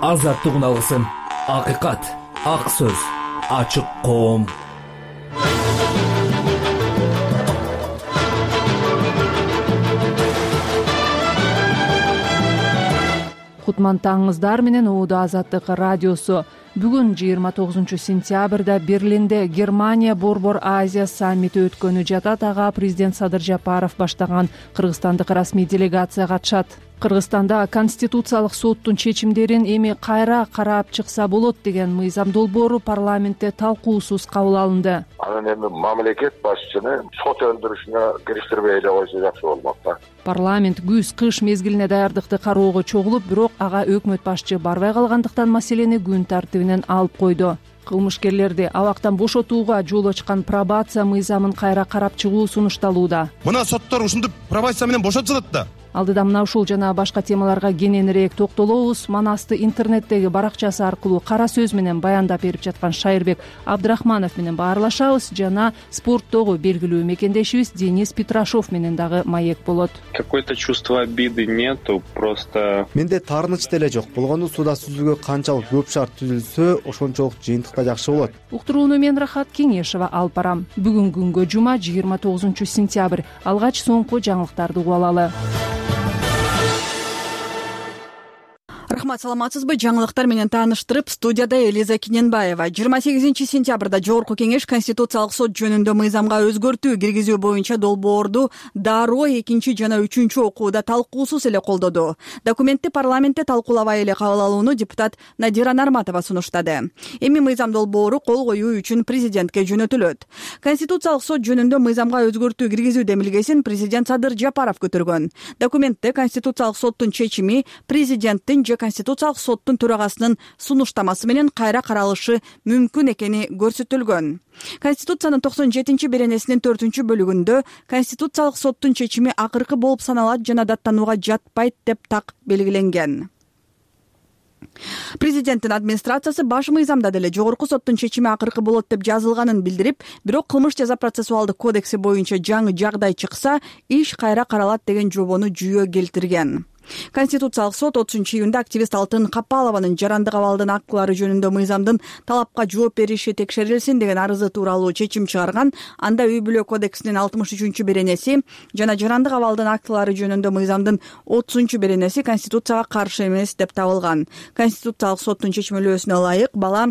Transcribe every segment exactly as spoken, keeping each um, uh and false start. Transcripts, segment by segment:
азаттыгын алгысың. Акыйкат, ак сөз, ачык коом. Кутман таңыңыздар менен Ууда Азаттык радиосу. Бүгүн жыйырма тогузунчу сентябрда Берлинде Германия Борбор Азия саммити өткөнү жатат. Ага президент Садыр Жапаров баштаган кыргызстандык расмий делегация катышат. Кыргызстанда Конституциялык соттун чечимдерин эми кайра карап чыкса болот деген мыйзам долбоору парламентте талкуусуз кабыл алынды. Анан эми мамлекет башчыны сот өндүрүшүнө кириштирбей эле койсо жакшы болмок да. Парламент күз-кыш мезгилине даярдыкты кароого чогулуп, бирок ага өкмөт башчы барбай калгандыктан маселени күн тартибинен алып койду. Кылмышкерлерди абактан бошотууга жол ачкан пробация мыйзамын кайра карап чыгуу сунушталууда. Мына соттор ушинтип пробация менен бошотулат да. Алдыда мына ушул жана башка темаларга кененирээк токтолобуз. Манасты интернеттеги баракчасы аркылуу кара сөз менен баяндап берип жаткан Шайырбек Абдрахманов менен баарлашабыз жана спорттогу белгилүү мекендешибиз Денис Петрашов менен дагы маек болот. Какое-то чувство обиды нету, просто менде таарыныч деле жок. Болгону суда сүзүүгө канчалык көп шарт түзүлсө, ошончолук жыйынтыкта жакшы болот. Уктурууну мен Рахат Кеңешева алып барам. Бүгүн күнгө жума жыйырма тогузунчу сентябрь. Алгач соңку жаңылыктарды угуп алалы. Рахмат, саламатсызбы? Жаңылыктар менен тааныштырып, студияда Элиза Кененбаева. жыйырма сегизинчи сентябрда Жогорку Кеңеш Конституциялык сот жөнүндө мыйзамга өзгөртүү киргизүү боюнча долбоорду дароо экинчи жана үчүнчү окууда талкуусуз эле колдоду. Документти парламентте талкуулабай эле кабыл алууну депутат Надира Нарматова сунуштады. Эми мыйзам долбоору кол коюу үчүн президентке жөнөтүлөт. Конституциялык сот жөнүндө мыйзамга өзгөртүү киргизүү демилгесин президент Садыр Жапаров көтөргөн. Документте Конституциялык соттун чечими президенттин же Конституциялык соттун төрагасынын сунуштамасы менен кайра каралышы мүмкүн экени көрсөтүлгөн. Конституциянын токсон жетинчи беренесинин төртүнчү бөлүгүндө Конституциялык соттун чечими акыркы болуп саналат жана даттанууга жатпайт деп так белгиленген. Президенттин администрациясы баш мыйзамда деле жогорку соттун чечими акыркы болот деп жазылганын билдирип, бирок кылмыш жаза процессуалдык кодекси боюнча жаңы жагдай чыкса, иш кайра каралат деген жобону жүйө келтирген. Конституциялык сот отузунчу июнда активист Алтын Капалованын жарандык абалдын актылары жөнүндө мыйзамдын талапка жооп бериши текшерилсин деген арызы тууралуу чечим чыгарган. Анда үй бүлө кодексинин алтымыш үчүнчү беренеси жана жарандык абалдын актылары жөнүндө мыйзамдын отузунчу беренеси Конституцияга каршы эмес деп табылган. Конституциялык соттун чечмелөөсүнө ылайык бала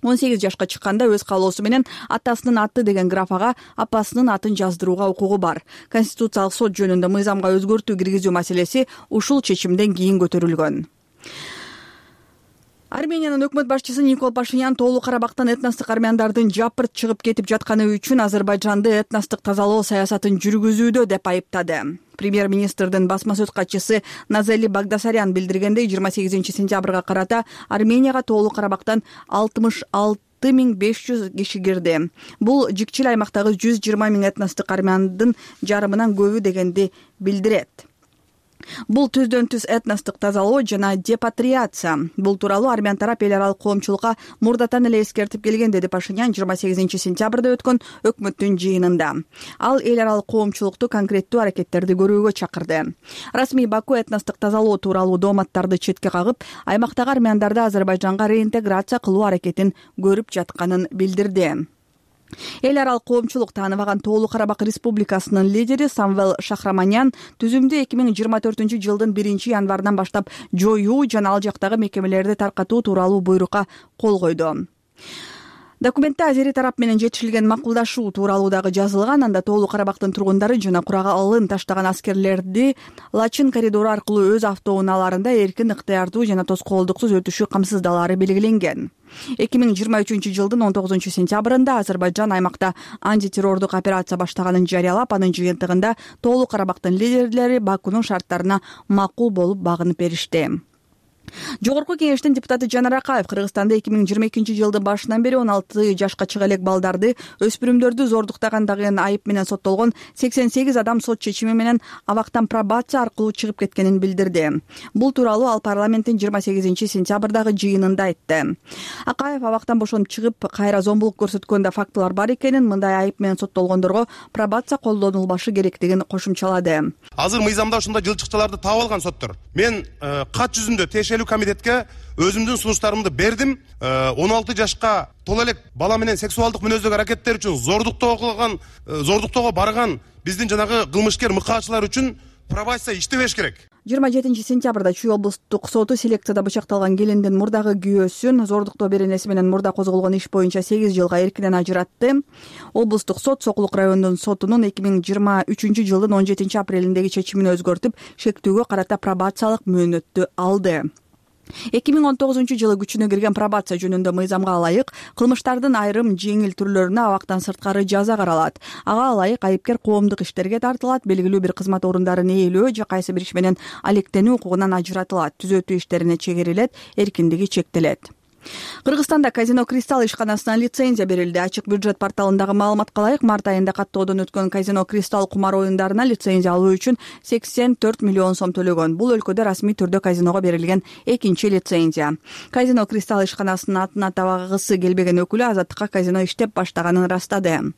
он сегиз жашка чыкканда өз каалоосу менен атасынын аты деген графага апасынын атын жаздырууга укугу бар. Конституциялык сот жөнүндө мыйзамга өзгөртүү киргизүү маселеси ушул чечимден кийин көтөрүлгөн. Армениянын өкмөт башчысы Никол Пашинян Тоолуу Карабактан этностук армяндардын жапырт чыгып кетип жатканы үчүн Азербайжанды этностук тазалоо саясатын жүргүзүүдө деп айыптады. Премьер-министрдин басма сөз катчысы Назели Багдасарян билдиргендей, жыйырма сегизинчи сентябрга карата Арменияга Тоолуу Карабактан алтымыш алты миң беш жүз киши кирди. Бул жикчил аймактагы жүз жыйырма миң этностук армяндын жарымынан көбү дегенди билдирет. Бул түздөн түз этностук тазалоо жана депатриация. Бул тууралуу армян тарап эл аралык коомчулукка мурдатан эле эскертип келген, деди Пашинян жыйырма сегизинчи сентябрда өткөн өкмөттүн жыйынында. Ал эл аралык коомчулукту конкреттүү аракеттерди көрүүгө чакырды. Расмий Баку этностук тазалоо тууралуу дооматтарды четке кагып, аймактагы армяндарды Азербайжанга реинтеграция кылуу аракетин көрүп жатканын билдирди. Эл аралык коомчулук тааныбаган Тоолуу Карабак Республикасынын лидери Самвел Шахраманян түзүмдү эки миң жыйырма төртүнчү жылдын биринчи январынан баштап жоюу жана ал жактагы мекемелерди таркатуу тууралуу буйрукка кол койду. Документте азери тарап менен жетишилген макулдашуу тууралуу дагы жазылган. Анда Тоолуу Карабактын тургундары жана куралын таштаган аскерлерди Лачин коридору аркылуу өз автоунааларында эркин, ыктыярдуу жана тоскоолдуксуз өтүшү камсыздалаары белгиленген. эки миң жыйырма үчүнчү жылдын он тогузунчу сентябрында Азербайжан аймакта антитеррордук операция баштаганын жарыялап, анын жыйынтыгында Тоолуу Карабактын лидерлери Бакунун шарттарына макул болуп багынып беришти. Жогорку Кеңештин депутаты Жанар Акаев Кыргызстанда эки миң жыйырма экинчи жылдын башынан бери он алты жашка чыга элек балдарды, өспүрүмдөрдү зордуктагандагы айып менен соттолгон сексен сегиз адам сот чечими менен абактан пробация аркылуу чыгып кеткенин билдирди. Бул тууралуу ал парламенттин жыйырма сегизинчи сентябрдагы жыйынында айтты. Акаев абактан бошонуп чыгып, кайра зомбулук көрсөткөндө фактылар бар экенин, мындай айып менен соттолгондорго пробация колдонулбашы керектигин кошумчалады. Азыр мыйзамда ушундай жылчыкчаларды таап алган соттор. мен кат жүзүндө тиешелүү комитетке өзүмдүн сунуштарымды бердим. он алты жашка толо элек бала менен сексуалдык мүнөздөгү аракеттер үчүн зордуктоо кылган, зордуктоого барган биздин жанагы кылмышкер мыкаачылар үчүн пробация иштебеш керек. жыйырма жетинчи сентябрда Чүй облустук соту селекцияда бычакталган келиндин мурдагы күйөөсүн зордуктоо беренеси менен мурда козголгон иш боюнча сегиз жылга эркинен ажыратты. Облустук сот Сокулук райондун сотунун эки миң жыйырма үчүнчү жылдын он жетинчи апрелиндеги чечимин өзгөртүп, шектүүгө карата пробациялык мөөнөттү алды. эки миң он тогузунчу жылы күчүнө кирген пробация жөнүндө мыйзамга ылайык кылмыштардын айрым жеңил түрлөрүнө абактан сырткары жаза каралат. Ага ылайык айыпкер коомдук иштерге тартылат, белгилүү бир кызмат орундарын ээлөө же кайсы бир иш менен алектенүү укугунан ажыратылат, түзөтүү иштерине чегерилет, эркиндиги чектелет. Кыргызстанда казино Кристалл ишканасына лицензия берилди. Ачык бюджет порталындагы маалыматка ылайык март айында каттоодон өткөн казино Кристалл кумар оюндарына лицензия алуу үчүн сексен төрт миллион сом төлөгөн. Бул өлкөдө расмий түрдө казиного берилген экинчи лицензия. Казино Кристалл ишканасынын атын атабагысы келбеген өкүлү азаттыкка казино иштеп баштаганын ырастады.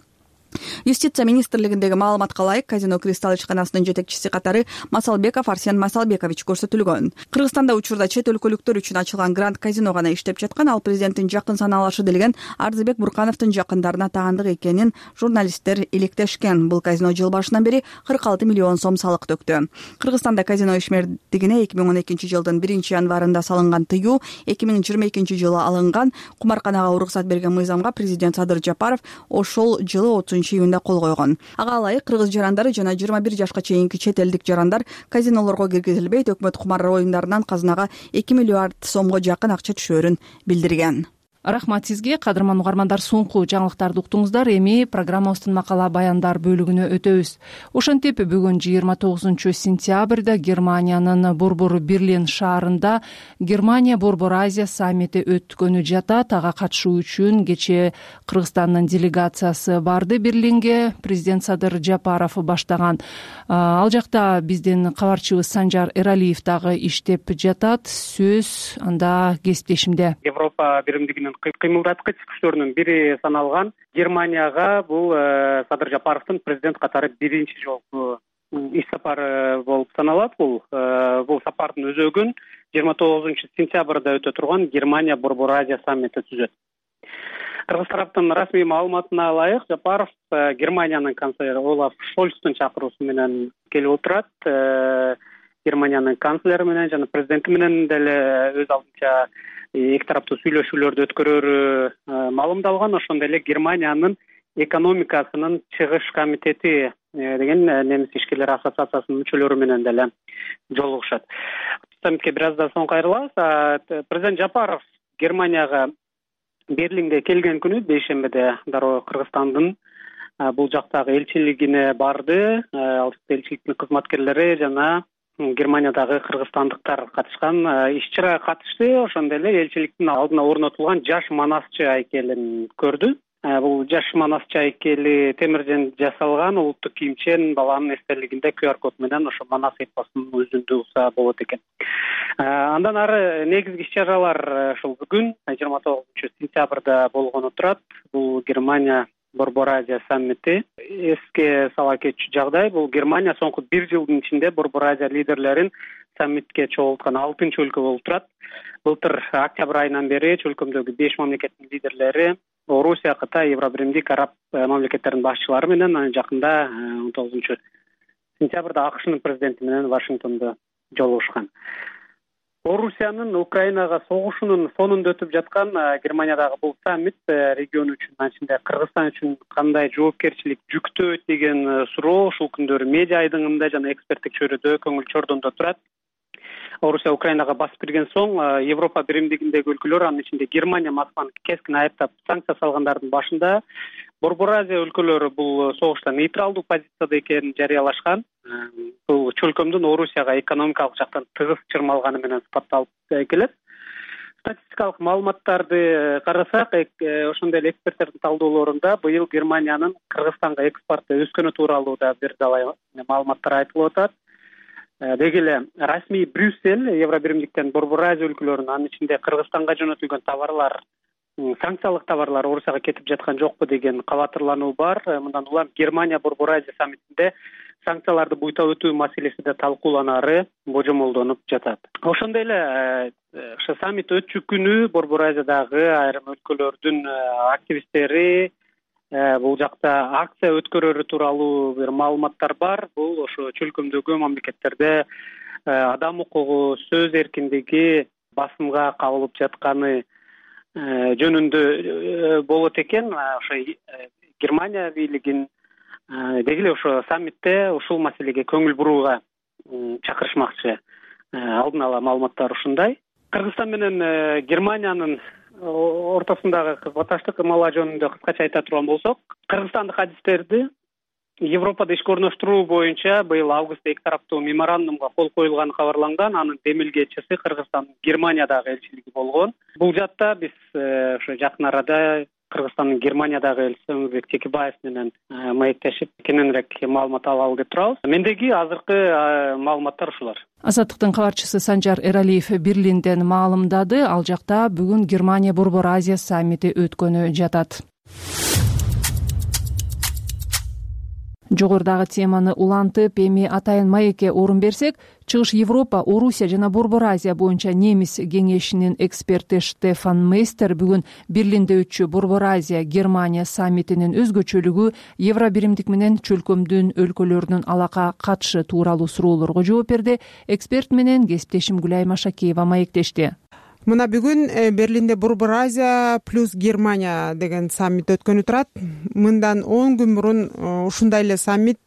Юстиция министрлигиндеги маалыматка ылайык казино Кристалл ишканасынын жетекчиси катары Масалбеков Арсен Масалбекович көрсөтүлгөн. Кыргызстанда учурда чет өлкөлүктөр үчүн ачылган Гранд казино гана иштеп жаткан, ал президенттин жакын саналашы делген Арзыбек Буркановдун жакындарына таандык экенин журналисттер иликтешкен. Бул казино жыл башынан бери кырк алты миллион сом салык төктү. Кыргызстанда казино ишмердигине эки миң он экинчи жылдын биринчи январында салынган тыюу эки миң жыйырма экинчи жылы алынган. Кумарканага уруксат берген мыйзамга президент Садыр Жапаров ошол жылы отузунчу июнда кол койгон. Ага ылайык кыргыз жарандары жана жыйырма бир жашка чейинки чет элдик жарандар казинолорго киргизилбейт. Өкмөт кумар оюндарынан казынага эки миллиард сомго жакын акча түшөөрүн билдирген. Рахмат сизге, кадырман угармандар. Соңку жаңылыктарды уктуңуздар. Эми программабыздын макала баяндар бөлүгүнө өтөбүз. Ошентип бүгүн жыйырма тогузунчу сентябрда Германиянын Борбор Берлин шаарында Германия Борбор Азия саммити өткөнү жатат. Ага катышуу үчүн кечээ Кыргызстандын делегациясы барды Берлинге. Президент Садыр Жапаров баштаган. Ал жакта биздин кабарчыбыз Санжар Эралиев дагы иштеп жатат. Сөз анда кесиптешимде. Европа биримдигинин кыймылдаткыч күчтөрүнүн бири саналган Германияга бул Садыр Жапаровдун президент катары биринчи жолку иш сапары болуп саналат. Бул бул сапардын өзөгүн жыйырма тогузунчу сентябрда өтө турган Германия Борбор Азия саммити түзөт. Кыргыз тараптын расмий маалыматына ылайык Жапаров Германиянын канцлери Олаф Шольцтун чакыруусу менен келип отурат. Германиянын канцлери менен жана президенти менен деле өз алдынча эки тараптуу сүйлөшүүлөрдү өткөрөрү маалымдалган. Ошондой эле Германиянын экономикасынын чыгыш комитети деген немис ишкерлер ассоциациясынын мүчөлөрү менен деле жолугушат. Саммитке бир аздан соң кайрылабыз. Президент Жапаров Германияга Берлинге келген күнү бейшембиде дароо Кыргызстандын бул жактагы элчилигине барды. Ал элчиликтин кызматкерлери жана Германиядагы кыргызстандыктар катышкан. Иш-чарага катышты. Ошондой эле элчиликтин алдына орнотулган жаш манасчы айкелин көрдү. Бул жаш манасчы айкели темирден жасалган, улуттук кийимчен баланын эстелигинде ку ар код менен ошо манас эпосунун өзүндү уса болот экен. Андан ары негизги иш-чаралар ушул бүгүн жыйырма тогузунчу сентябрда болгону турат. Бул Германия Борбор Азия саммити. Эске сала кетчү жагдай, бул Германия соңку бир жылдын ичинде Борбор Азия лидерлерин саммитке чогулткан алтынчы өлкө болуп турат. Былтыр октябрь айынан бери өлкөмдөгү беш мамлекеттин лидерлери Орусия, Кытай, Евробиримдик, араб мамлекеттеринин башчылары менен жакында он тогузунчу сентябрда АКШнын президенти менен Вашингтондо жолугушкан. Орусиянын Украинага согушунун фонунда өтүп жаткан Германиядагы бул саммит регион үчүн, ачында Кыргызстан үчүн кандай жоопкерчилик жүктөйт деген суроо ушул күндөрү медиа айдыңында жана эксперттик чөйрөдө көңүл чордондо турат. Орусия Украинага басып кирген соң Европа биримдигиндеги өлкөлөр, анын ичинде Германия Москваны кескин айыптап санкция салгандардын башында Борбор Азия өлкөлөрү бул согушта нейтралдуу позицияда экенин жарыялашкан. Бул чөлкөмдүн Орусияга экономикалык жактан тыгыз чырмалганы менен сыпатталып келет. Статистикалык маалыматтарды карасак, ошондой эле эксперттердин талдоолорунда быйыл Германиянын Кыргызстанга экспорту өскөнү тууралуу да бир далай маалыматтар айтылып атат. Деги эле расмий Брюссель Евробиримдиктен Борбор Азия өлкөлөрүнүн, анын ичинде Кыргызстанга жөнөтүлгөн товарлар, санкциялык товарлар Орусияга кетип жаткан жокпу деген кабатырлануу бар. Мындан улам Германия Борбор Азия саммитинде санкцияларды буйта өтүү маселеси да талкууланары божомолдонуп жатат. Ошондой эле ошо саммит өтчү күнү Борбор Азиядагы айрым өлкөлөрдүн активисттери бул жакта акция өткөрөрү тууралуу бир маалыматтар бар. Бул ошо чөлкөмдөгү мамлекеттерде адам укугу, сөз эркиндиги басымга кабылып жатканы жөнүндө болот экен. Ошо Германия бийлигин деги эле ошо саммитте ушул маселеге көңүл бурууга чакырышмакчы. Алдын ала маалыматтар ушундай. Кыргызстан менен Германиянын ортосундагы кызматташтык ымала жөнүндө кыскача айта турган болсок, кыргызстандык адистерди Европада ишке орноштуруу боюнча быйыл августта эки тараптуу меморандумга кол коюлганы кабарланган. Анын демилгечиси Кыргызстандын Германиядагы элчилиги болгон. Бул жакта биз ошо жакын арада Кыргызстандын Германиядагы элчиси Өмүрбек Текебаев менен маектешип кененирээк маалымат алалы деп турабыз. Мендеги азыркы маалыматтар ушулар. Азаттыктын кабарчысы Санжар Эралиев Берлинден маалымдады. Ал жакта бүгүн Германия Борбор Азия саммити өткөнү жатат. Жогорудагы теманы улантып, эми атайын маекке орун берсек, Чыгыш Европа, Орусия жана Борбор Азия боюнча немис кеңешинин эксперти Штефан Мейстер бүгүн Берлинде өтчү Борбор Азия Германия саммитинин өзгөчөлүгү Евробиримдик менен чөлкөмдүн өлкөлөрүнүн алака катышы тууралуу суроолорго жооп берди. Эксперт менен кесиптешим Гүлайым Ашакеева маектешти. Мына бүгүн Берлинде Борбор Азия плюс Германия деген саммит өткөнү турат. Мындан он күн мурун ушундай эле саммит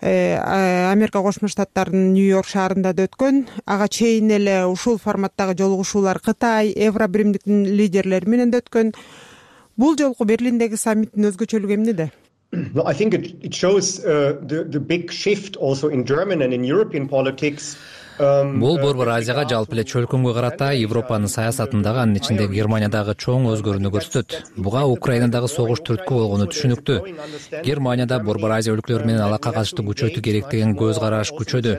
Америка Кошмо Штаттарынын Нью-Йорк шаарында да өткөн. Ага чейин эле ушул форматтагы жолугушуулар Кытай, Евробиримдиктин лидерлери менен да өткөн. Бул жолку Берлиндеги саммиттин өзгөчөлүгү эмнеде? Well, I think it, it shows uh, the, the big shift also in German and in European politics. Бул Борбор Азияга жалпы эле чөлкөмгө карата Европанын саясатындагы, анын ичинде Германиядагы чоң өзгөрүүнү көрсөтөт. Буга Украинадагы согуш түрткү болгону түшүнүктүү. Германияда Борбор Азия өлкөлөрү менен алака катышты күчөтүү керек деген көз караш күчөдү.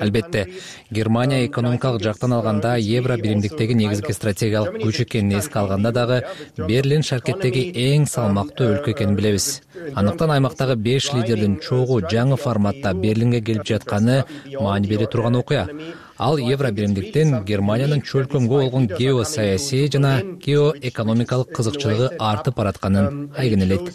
Албетте, Германия экономикалык жактан алганда Евробиримдиктеги негизги стратегиялык күч экенин эске алганда дагы Берлин шаркеттеги эң салмактуу өлкө экенин билебиз. Андыктан аймактагы беш лидердин чогуу жаңы форматта Берлинге келип жатканы маани бере турган окуя. Ал Евробиримдиктен Германиянын чөлкөмгө болгон геосаясий жана геоэкономикалык кызыкчылыгы артып баратканын айгинелейт.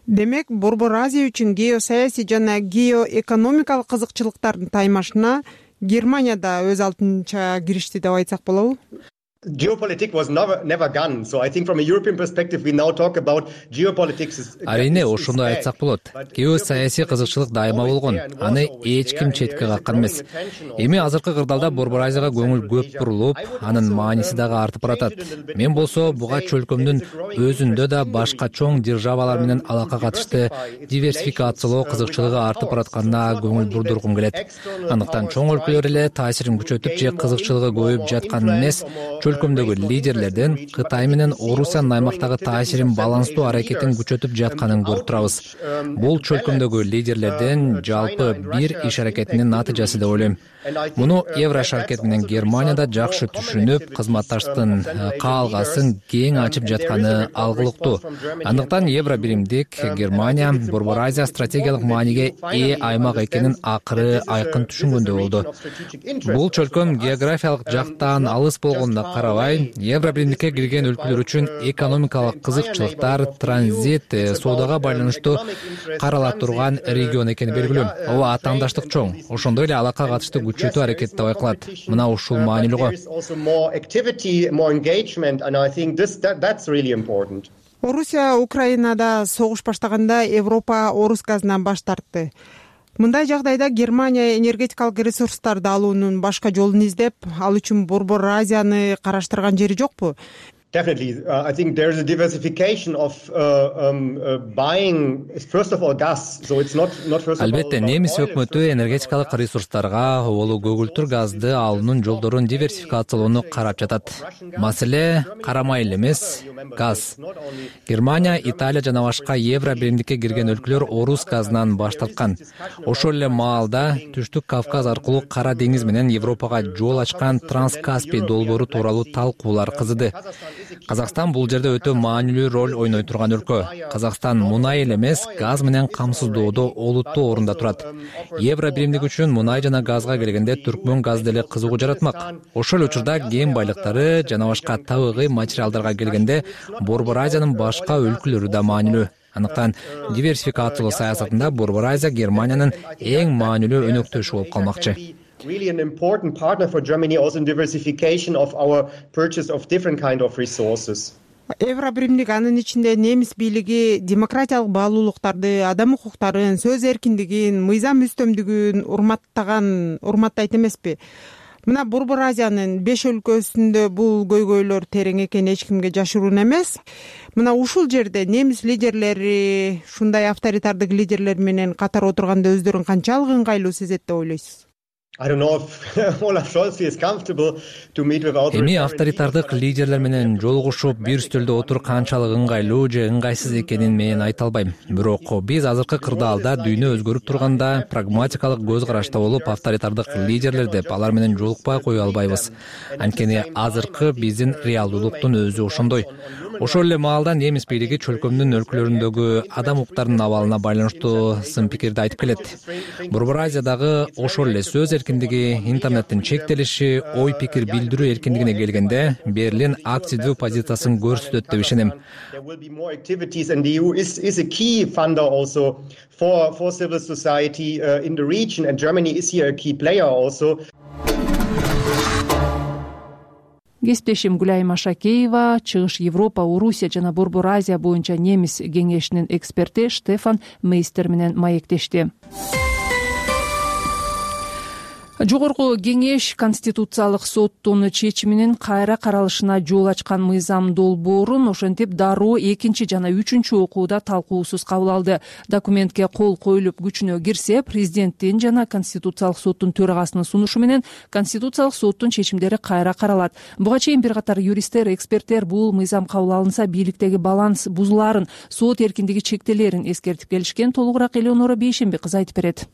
Демек, Борбор Азия үчүн геосаясий жана геоэкономикалык кызыкчылыктардын таймашына Германия да өз алдынча киришти деп айтсак болобу? Geopolitics was never never gone. So I think from a European perspective we now talk about geopolitics is Арине ошондой айтсак болот. Геосаясий кызыкчылык дайыма болгон. Аны эч ким четке каккан эмес. Эми азыркы кырдаалда Борбор Азияга көңүл көп бурулуп, анын мааниси дагы артып баратат. Мен болсо буга чөлкөмдүн өзүндө да башка чоң державалар менен алака катышты диверсификациялоо кызыкчылыгы артып баратканына көңүл бурдургум келет. Андыктан чоң өлкөлөр эле таасирин күчөтүп же кызыкчылыгы көбөйүп жаткан эмес, чөлкөмдөгү лидерлерден Кытай менен Орусиянын аймактагы таасирин баланстуу аракетин күчөтүп жатканын көрүп турабыз. Бул чөлкөмдөгү лидерлерден жалпы бир иш аракетинин натыйжасы деп ойлойм. Муну Евро шаркет менен Германияда жакшы түшүнүп, кызматташтыктын каалгасын кең ачып жатканы алгылыктуу. Андыктан Евробиримдик Германия Борбор Азия стратегиялык мааниге ээ аймак экенин акыры айкын түшүнгөндөй болду. Бул чөлкөм географиялык жактан алыс болгонуна карабай, Евробиримдикке кирген өлкөлөр үчүн экономикалык кызыкчылыктар, транзит, соодага байланыштуу карала турган регион экени белгилүү. Ооба, атаандаштык чоң. Ошондой эле алака катышты күчөтүү аракети да байкалат. Мына ушул маанилүү. Орусия Украинада согуш баштаганда Европа орус газынан баш тартты. Мындай жагдайда Германия энергетикалык ресурстарды алуунун башка жолун издеп, ал үчүн Борбор Азияны караштырган жери жокпу? Definitely, uh, I think there is a diversification of uh, um, uh, buying, first of all, gas. So it's not not first of all. Албетте, немис өкмөтү энергетикалык ресурстарга, болу көгүлтүр газды алуунун жолдорун диверсификациялоону карап жатат. Маселе карамай эле эмес, газ. Германия, Италия жана башка Евробиримдикке кирген өлкөлөр орус газынан баш тарткан. Ошол эле маалда Түштүк Кавказ аркылуу Кара деңиз менен Европага жол ачкан Транскаспий долбоору тууралуу талкуулар кызыды. Казакстан бул жерде өтө маанилүү роль ойной турган өлкө. Казакстан мунай эле эмес, газ менен камсыздоодо олуттуу орунда турат. Евро биримдиги үчүн мунай жана газга келгенде Түркмөн газ деле кызыгуу жаратмак. Ошол учурда кен байлыктары жана башка табигый материалдарга келгенде Борбор Азиянын башка өлкөлөрү да маанилүү. Андыктан диверсификациялоо саясатында Борбор Азия Германиянын эң маанилүү өнөктөшү болуп калмакчы. Really an important partner for Germany also in diversification of our purchase of different kind of resources. Евро биримдик анын ичинде немис бийлиги демократиялык баалуулуктарды, адам укуктарын, сөз эркиндигин, мыйзам үстөмдүгүн урматтаган, урматтайт эмеспи? Мына Борбор Азиянын беш өлкөсүндө бул көйгөйлөр терең экени эч кимге жашыруун эмес. Мына ушул жерде немис лидерлери, ушундай авторитардык лидерлер менен катар отурганда өздөрүн канчалык ыңгайлуу сезет деп ойлойсуз? I don't know if Olaf Scholz is comfortable to meet with other. Эми авторитардык лидерлер менен жолугушуп, бир стөлдө отуруп канчалык ыңгайлуу же ыңгайсыз экенин мен айта албайм. Бирок биз азыркы кырдаалда дүйнө өзгөрүп турганда прагматикалык көз карашта болуп, авторитардык лидерлер деп алар менен жолукпай кое албайбыз. Анткени азыркы биздин реалдуулуктун өзү ошондой. Ошол эле маалда немис бийлиги чөлкөмдүн өлкөлөрүндөгү адам укуктарынын абалына байланыштуу сын пикирди айтып келет. Борбор Азиядагы ошол эле сөз эркиндиги, интернеттин чектелиши, ой пикир билдирүү эркиндигине келгенде Берлин активдүү позициясын көрсөтөт деп ишенем. There will be more activities and the E U is is a key funder also for for civil society uh, in the region and Germany is here a key player also. Кесиптешим Гүлайым Ашакеева, Чыгыш Европа, Орусия жана Борбор Азия боюнча немис кеңешинин эксперти Штефан Мейстер менен маектешти. Жогорку кеңеш Конституциялык соттун чечиминин кайра каралышына жол ачкан мыйзам долбоорун ошентип дароо экинчи жана үчүнчү окууда талкуусуз кабыл алды. Документке кол коюлуп күчүнө кирсе, президенттин жана Конституциялык соттун төрагасынын сунушу менен Конституциялык соттун чечимдери кайра каралат. Буга чейин бир катар юристтер, эксперттер бул мыйзам кабыл алынса бийликтеги баланс бузуларын, сот эркиндиги чектелерин эскертип келишкен. Толугураак Элеонора Бейшенбек кызы айтып берет.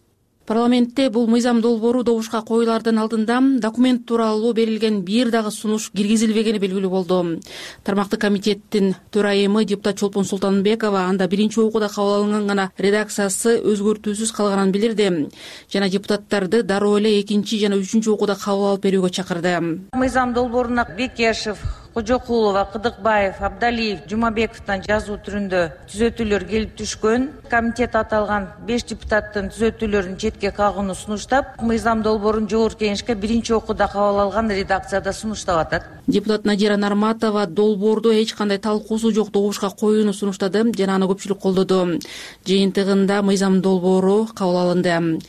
Парламентте бул мыйзам долбоору добушка коюлардан алдында документ тууралуу берилген бир дагы сунуш киргизилбегени белгилүү болду. Тармактык комитеттин төрайымы депутат Чолпон Султанбекова анда биринчи окууда кабыл алынган гана редакциясы өзгөртүүсүз калганын билдирди жана депутаттарды дароо эле экинчи жана үчүнчү окууда кабыл алып берүүгө чакырды. Мыйзам долбооруна Бекешев, Кожокулова, Кыдыкбаев, Абдалиев, Жумабековдун жазуу түрүндө түзөтүүлөр келип түшкөн. Комитет аталган беш депутаттын түзөтүүлөрүн четке кагууну сунуштап, мыйзам долбоорун жогорку кеңешке биринчи окууда кабыл алган редакцияда сунуштап атат. Депутат Надира Нарматова долбоорду эч кандай талкуусу жок добушка коюуну сунуштады жана аны көпчүлүк колдоду. Жыйынтыгында мыйзам долбоору кабыл алынды.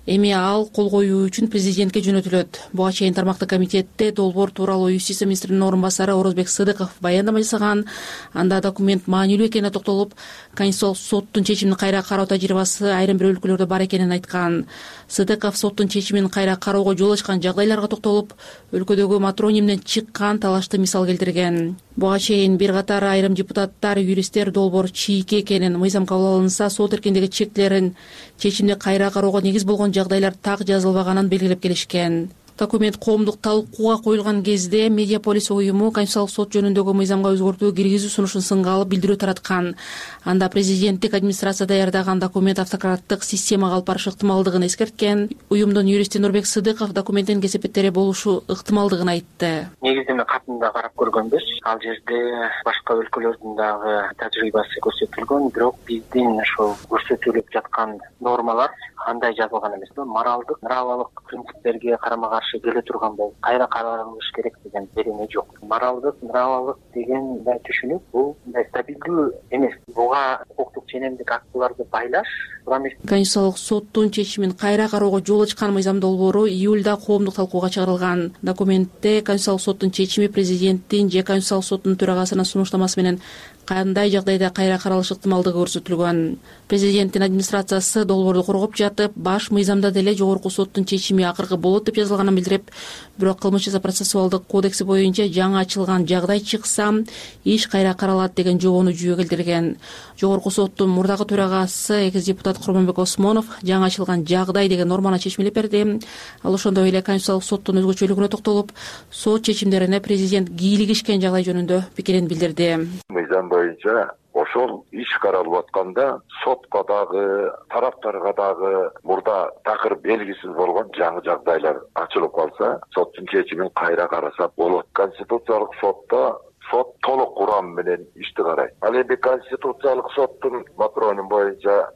Эми ал кол коюу үчүн президентке жөнөтүлөт. Буга чейин тармактык комитетте долбоор тууралуу юстиция министринин орун басары Орозбек Сыдыков баяндама жасаган. Анда документ маанилүү экенине токтолуп, Конституциялык соттун чечимин кайра кароо тажрыйбасы айрым бир өлкөлөрдө бар экенин айткан. Сыдыков соттун чечимин кайра кароого жол ачкан жагдайларга токтолуп, өлкөдөгү матронимден чыккан талашты мисал келтирген. Буга чейин бир катар айрым депутаттар, юристтер долбоор чийки экенин, мыйзам кабыл алынса сот эркиндиги чектелерин чечимди кайра кароого негиз болгон жагдайлар так жазылбаганын белгилеп келишкен. Документ коомдук талкууга коюлган кезде Медиаполис уюму Конституциялык сот жөнүндөгү мыйзамга өзгөртүү киргизүү сунушун сынга алып билдирүү тараткан. Анда президенттик администрация даярдаган документ автократтык системага алып барышы ыктымалдыгын эскерткен. Уюмдун юристи Нурбек Сыдыков документтин кесепеттери болушу ыктымалдыгын айтты. Негиздеме катында карап көргөнбүз. Ал жерде башка өлкөлөрдүн дагы тажрыйбасы көрсөтүлгөн, бирок биздин ошол көрсөтүлүп жаткан нормалар андай жазылган эмес. Моралдык, нравалык принциптерге карама каршы келе турган болуп, кайра каралыш керек деген берене жок. Моралдык, нравалык деген түшүнүк бул стабилдүү эмес. Буга укуктук ченемдик актыларды байлаш туура эмес. Конституциялык соттун чечимин кайра кароого жол ачкан мыйзам долбоору июлда коомдук талкууга чыгарылган. Документте Конституциялык соттун чечими президенттин же Конституциялык соттун төрагасынын сунуштамасы менен кандай жагдайда кайра каралыш ыктымалдыгы көрсөтүлгөн. Президенттин администрациясы долбоорду коргоп жатып, баш мыйзамда деле жогорку соттун чечими акыркы болот деп жазылганын билдирип, бирок кылмыш жаза процессуалдык кодекси боюнча жаңы ачылган жагдай чыкса, иш кайра каралат деген жобону жүйө келтирген. Жогорку соттун мурдагы төрагасы экс депутат Курманбек Осмонов жаңы ачылган жагдай деген норманы чечмелеп берди. Ал ошондой эле Конституциялык соттун өзгөчөлүгүнө токтолуп, сот чечимдерине президент кийлигишкен жагдай жөнүндө пикирин билдирди. Мыйзам боюнча ошол иш каралып атканда сотко дагы, тараптарга дагы мурда такыр белгисиз болгон жаңы жагдайлар ачылып калса, соттун чечимин кайра караса болот. Конституциялык сотто сот толук курам менен ишти карайт. Ал эми Конституциялык соттун матронун боюнча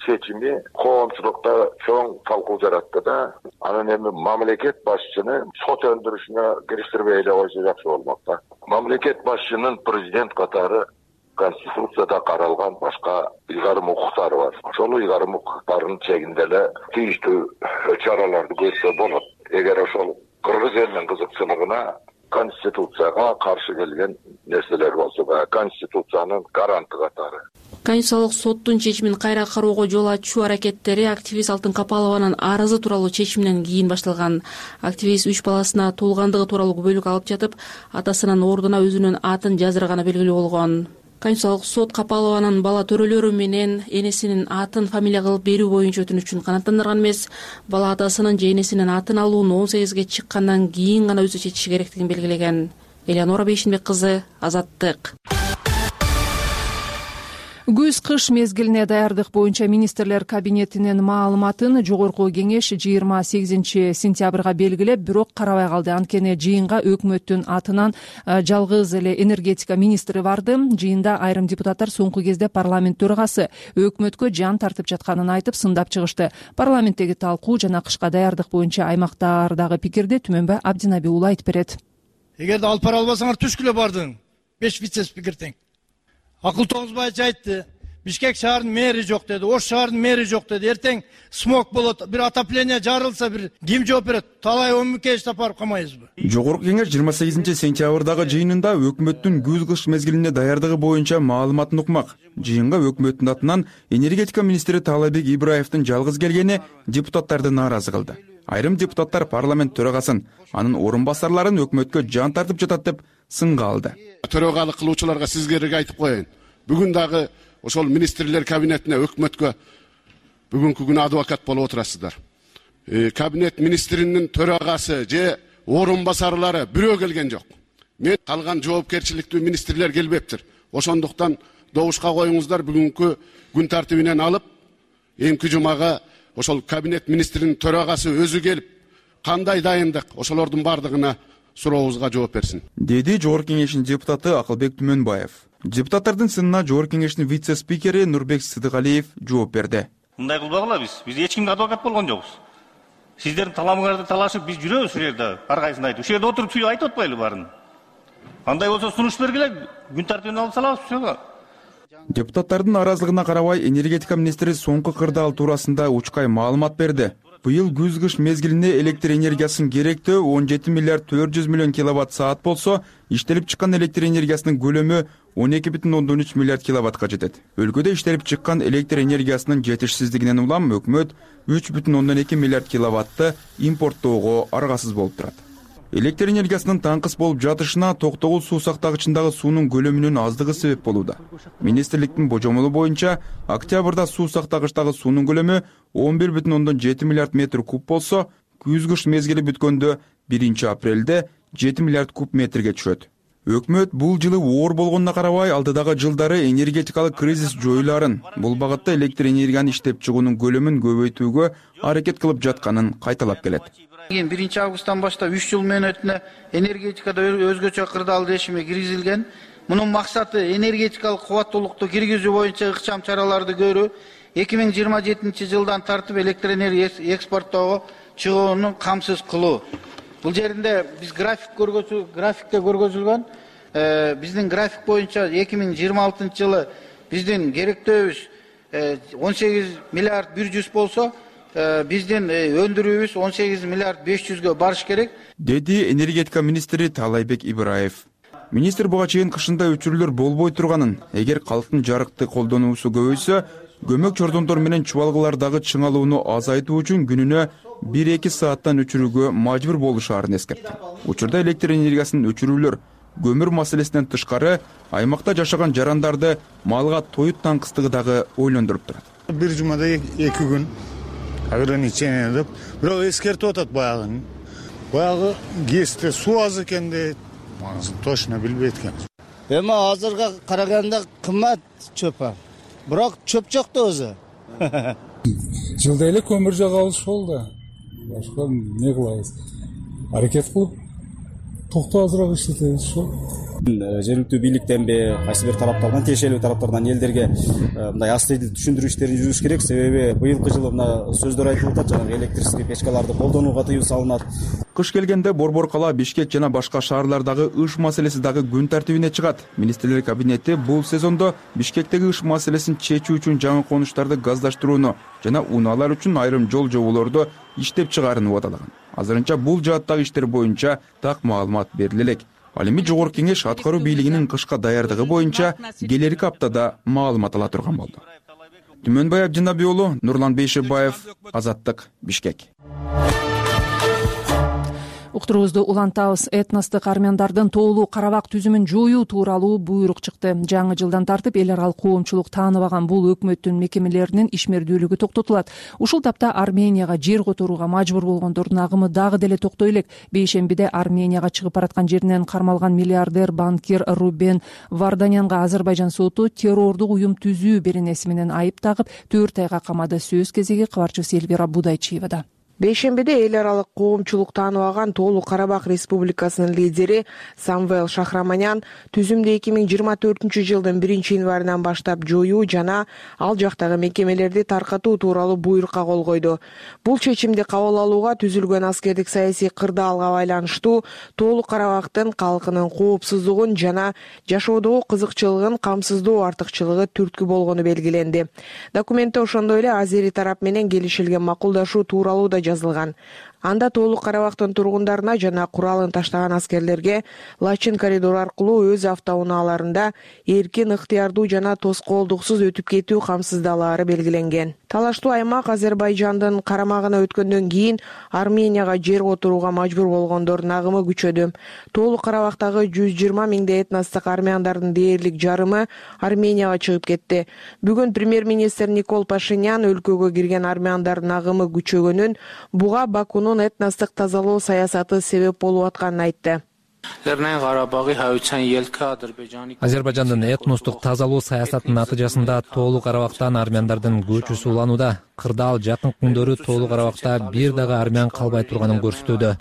чечими коомчулукта чоң талкуу жаратты да, анан эми мамлекет башчыны сот өндүрүшүнө кириштирбей эле койсо жакшы болмок да. Мамлекет башчынын президент катары Конституцияда каралган башка ыйгарым укуктары бар. Ошол ыйгарым укуктарынын чегинде эле тийиштүү чараларды көрсө болот. Эгер ошол кыргыз элинин кызыкчылыгына Конституцияга каршы келген нерселер болсо, Конституциянын гаранты катары. Конституциялык соттун чечимин кайра кароого жол ачуу аракеттери активист Алтын Капалованын арызы тууралуу чечиминен кийин башталган. Активист үч баласына туулгандыгы тууралуу күбөлүк алып жатып, атасынын ордуна өзүнүн атын жаздырганы белгилүү болгон. Конституциялык сот Капалованын бала төрөлөрү менен энесинин атын фамилия кылып берүү боюнча өтүнүчүн канааттандырган эмес, бала атасынын же энесинин атын алууну он сегизге чыккандан кийин гана өзү чечиши керектигин белгилеген. Элеонора Бейшинбек кызы, Азаттык. Күз-кыш мезгилине даярдык боюнча министрлер кабинетинин маалыматын жогорку кеңеш жыйырма сегизинчи сентябрга белгилеп, бирок карабай калды. Анткени жыйынга өкмөттүн атынан жалгыз эле энергетика министри барды. Жыйында айрым депутаттар соңку кезде парламент төрагасы өкмөткө жан тартып жатканын айтып сындап чыгышты. Парламенттеги талкуу жана кышка даярдык боюнча аймактардагы пикирди Түмөнбай Абдинаби уулу айтып берет. Эгерде алып бара албасаңар түшкүлө бардың. Беш вице-спикер тең. Акыл тогузбайчы айтты. Бишкек шаарынын мэри жок деди, Ош шаарынын мэри жок деди. Эртең смог болот, бир отопление жарылса, бир ким жооп берет? Талай он миңке таптап камайбызбы? Жогорку кеңеш жыйырма сегизинчи сентябрдагы жыйынында өкмөттүн күз-кыш мезгилине даярдыгы боюнча маалыматын укмак. Жыйынга өкмөттүн атынан энергетика министри Таалайбек Ибраевдин жалгыз келгени депутаттарды нааразы кылды. Айрым депутаттар парламент төрагасын, анын орун басарларын өкмөткө жан тартып жатат деп сынга алды. Төрагалык кылуучуларга сизге айтып коеюн. Бүгүн дагы ошол министрлер кабинетине өкмөткө бүгүнкү күнү адвокат болуп отурасыздар. Кабинет министринин төрагасы же орун басарлары бирөө келген жок. Мен калган жоопкерчиликтүү министрлер келбептир. Ошондуктан добушка коюңуздар, бүгүнкү күн тартибинен алып, эмки жумага ошол кабинет министринин төрагасы өзү келип, кандай дайындык, ошолордун бардыгына сурообузга жооп берсин, деди жогорку кеңештин депутаты Акылбек Түмөнбаев. Депутаттардын сынына жогорку кеңештин вице-спикери Нурбек Сыдыгалиев жооп берди. Мындай кылбагыла биз. Биз эч кимге адвокат болгон жокпуз. Сиздердин таламыңарды талашып биз жүрөбүз ушул жерде, ар кайсын айтып. Ушул жерде отуруп сүйлөп айтып атпайлы баарын. Кандай болсо сунуш бергиле, күн тартибине алып салабыз ушуга. Депутаттардын наразылыгына карабай, энергетика министри соңку кырдаал туурасында учкай маалымат берди. Быйыл күз-кыш мезгилине электр энергиясынын керектөө он жети миллиард төрт жүз миллион киловатт саат болсо, иштелип чыккан электр энергиясынын көлөмү он эки бүтүн ондон үч миллиард киловаттка жетет. Өлкөдө иштелип чыккан электр энергиясынын жетишсиздигинен улам өкмөт үч бүтүн ондон эки миллиард киловаттты импорттоого аргасыз болуп турат. Электр энергиясынын таңкыс болуп жатышына Токтогул суу сактагычындагы суунун көлөмүнүн аздыгы себеп болууда. Министрликтин божомолу боюнча, октябрда суу сактагычтагы суунун көлөмү он бир бүтүн ондон жети миллиард метр куб болсо, күз-кыш мезгили бүткөндө биринчи апрелде жети миллиард куб метрге түшөт. Өкмөт бул жылы оор болгонуна карабай, алдыдагы жылдары энергетикалык кризис жоюларын, бул багытта электр энергияны иштеп чыгуунун көлөмүн көбөйтүүгө аракет кылып жатканын кайталап келет. биринчи августтан баштап үч жыл мөөнөтүнө энергетикада өзгөчө кырдаал решими киргизилген. Мунун максаты энергетикалык кубаттуулукту киргизүү боюнча ыкчам чараларды көрүү, эки миң жыйырма жетинчи жылдан тартып электр энергия экспорттоого чыгууну камсыз кылуу. Бул жеринде биз график көргөзүү, графикте көргөзүлгөн. Биздин график боюнча эки миң жыйырма алтынчы жылы биздин керектөөбүз он сегиз миллиард бир жүз болсо, биздин өндүрүүбүз он сегиз миллиард беш жүзгө барыш керек, деди энергетика министри Таалайбек Ибраев. Министр буга чейин кышында өчүрүүлөр болбой турганын, эгер калктын жарыкты колдонуусу көбөйсө, көмөк чордондор менен чубалгылардагы чыңалууну азайтуу үчүн күнүнө бир эки сааттан өчүрүүгө мажбур болушаарын эскертти. Учурда электр энергиясын өчүрүүлөр көмүр маселесинен тышкары аймакта жашаган жарандарды малга тоют таңкыстыгы дагы ойлондуруп турат. Бир жумада эки күн ограничение деп, бирок эскертип атат баягы. Баягы ГЭСте суу аз экен дейт. Точно билбейт экен. Эми азырга караганда кымбат чөп. Бирок чөп жок да өзү. Жылда эле көмүр жагабыз болду. Башка эмне кылабыз? Аракет кылып токтоо азыраак иштетебиз ошол. Жергиликтүү бийликтен бе, кайсы бир тараптардан, тиешелүү тараптардан элдерге мындай астыйдуу түшүндүрүү иштерин жүргүш керек. Себеби быйылкы жылы мына сөздөр айтылып атат, жанагы электрический печкаларды колдонууга тыюу салынат. Кыш келгенде Борбор кала, Бишкек жана башка шаарлардагы ыш маселеси дагы күн тартибине чыгат. Министрлер кабинети бул сезондо Бишкектеги ыш маселесин чечүү үчүн жаңы конуштарды газдаштырууну жана унаалар үчүн айрым жол жоболорду иштеп чыгаарын убадалаган. Азырынча бул жааттагы иштер боюнча так маалымат бериле элек. Ал эми жогорку кеңеш аткаруу бийлигинин кышка даярдыгы боюнча келерки аптада маалымат ала турган болду. Түмөнбай Абдинабий уулу, Нурлан Бейшебаев, Азаттык, Бишкек. Уктуруубузду улантабыз. Этностук армяндардын тоолуу Карабак түзүмүн жоюу тууралуу буйрук чыкты. Жаңы жылдан тартып эл аралык коомчулук тааныбаган бул өкмөттүн мекемелеринин ишмердүүлүгү токтотулат. Ушул тапта Арменияга жер которууга мажбур болгондордун агымы дагы деле токтой элек. Бейшембиде Арменияга чыгып бараткан жеринен кармалган миллиардер банкир Рубен Варданянга Азербайжан соту террордук уюм түзүү беренеси менен айып тагып төрт айга камады. Сөз кезеги кабарчыбыз Элвира Будайчиевада. Бейшембиде эл аралык коомчулук тааныбаган Тоолуу Карабак Республикасынын лидери Самвел Шахраманян түзүмдү эки миң жыйырма төртүнчү жылдын биринчи январынан баштап жоюу жана ал жактагы мекемелерди таркатуу тууралуу буйрукка кол койду. Бул чечимди кабыл алууга түзүлгөн аскердик саясий кырдаалга байланыштуу Тоолуу Карабактын калкынын коопсуздугун жана жашоодогу кызыкчылыгын камсыздоо артыкчылыгы түрткү болгону белгиленди. Документте ошондой эле азери тарап менен келишилген макулдашуу тууралуу да жазылган. Анда Тоолуу Карабактын тургундарына жана куралын таштаган аскерлерге Лачин коридор аркылуу өз автоунааларында эркин, ыктыярдуу жана тоскоолдуксуз өтүп кетүү камсыздалаары белгиленген. Талаштуу аймак Азербайжандын карамагына өткөндөн кийин Арменияга жер которууга мажбур болгондордун агымы күчөдү. Тоолуу Карабактагы жүз жыйырма миңдей этностук армяндардын дээрлик жарымы Арменияга чыгып кетти. Бүгүн премьер-министр Никол Пашинян өлкөгө кирген армяндардын агымы күчөгөнүн, буга Бакунун этностук тазалоо саясаты себеп болуп атканын айтты. Азербайжандын этностук тазалоо саясатынын натыйжасында Тоолуу Карабактан армяндардын көчүсү уланууда. Кырдаал жакын күндөрү Тоолуу Карабакта бир дагы армян калбай турганын көрсөтүүдө,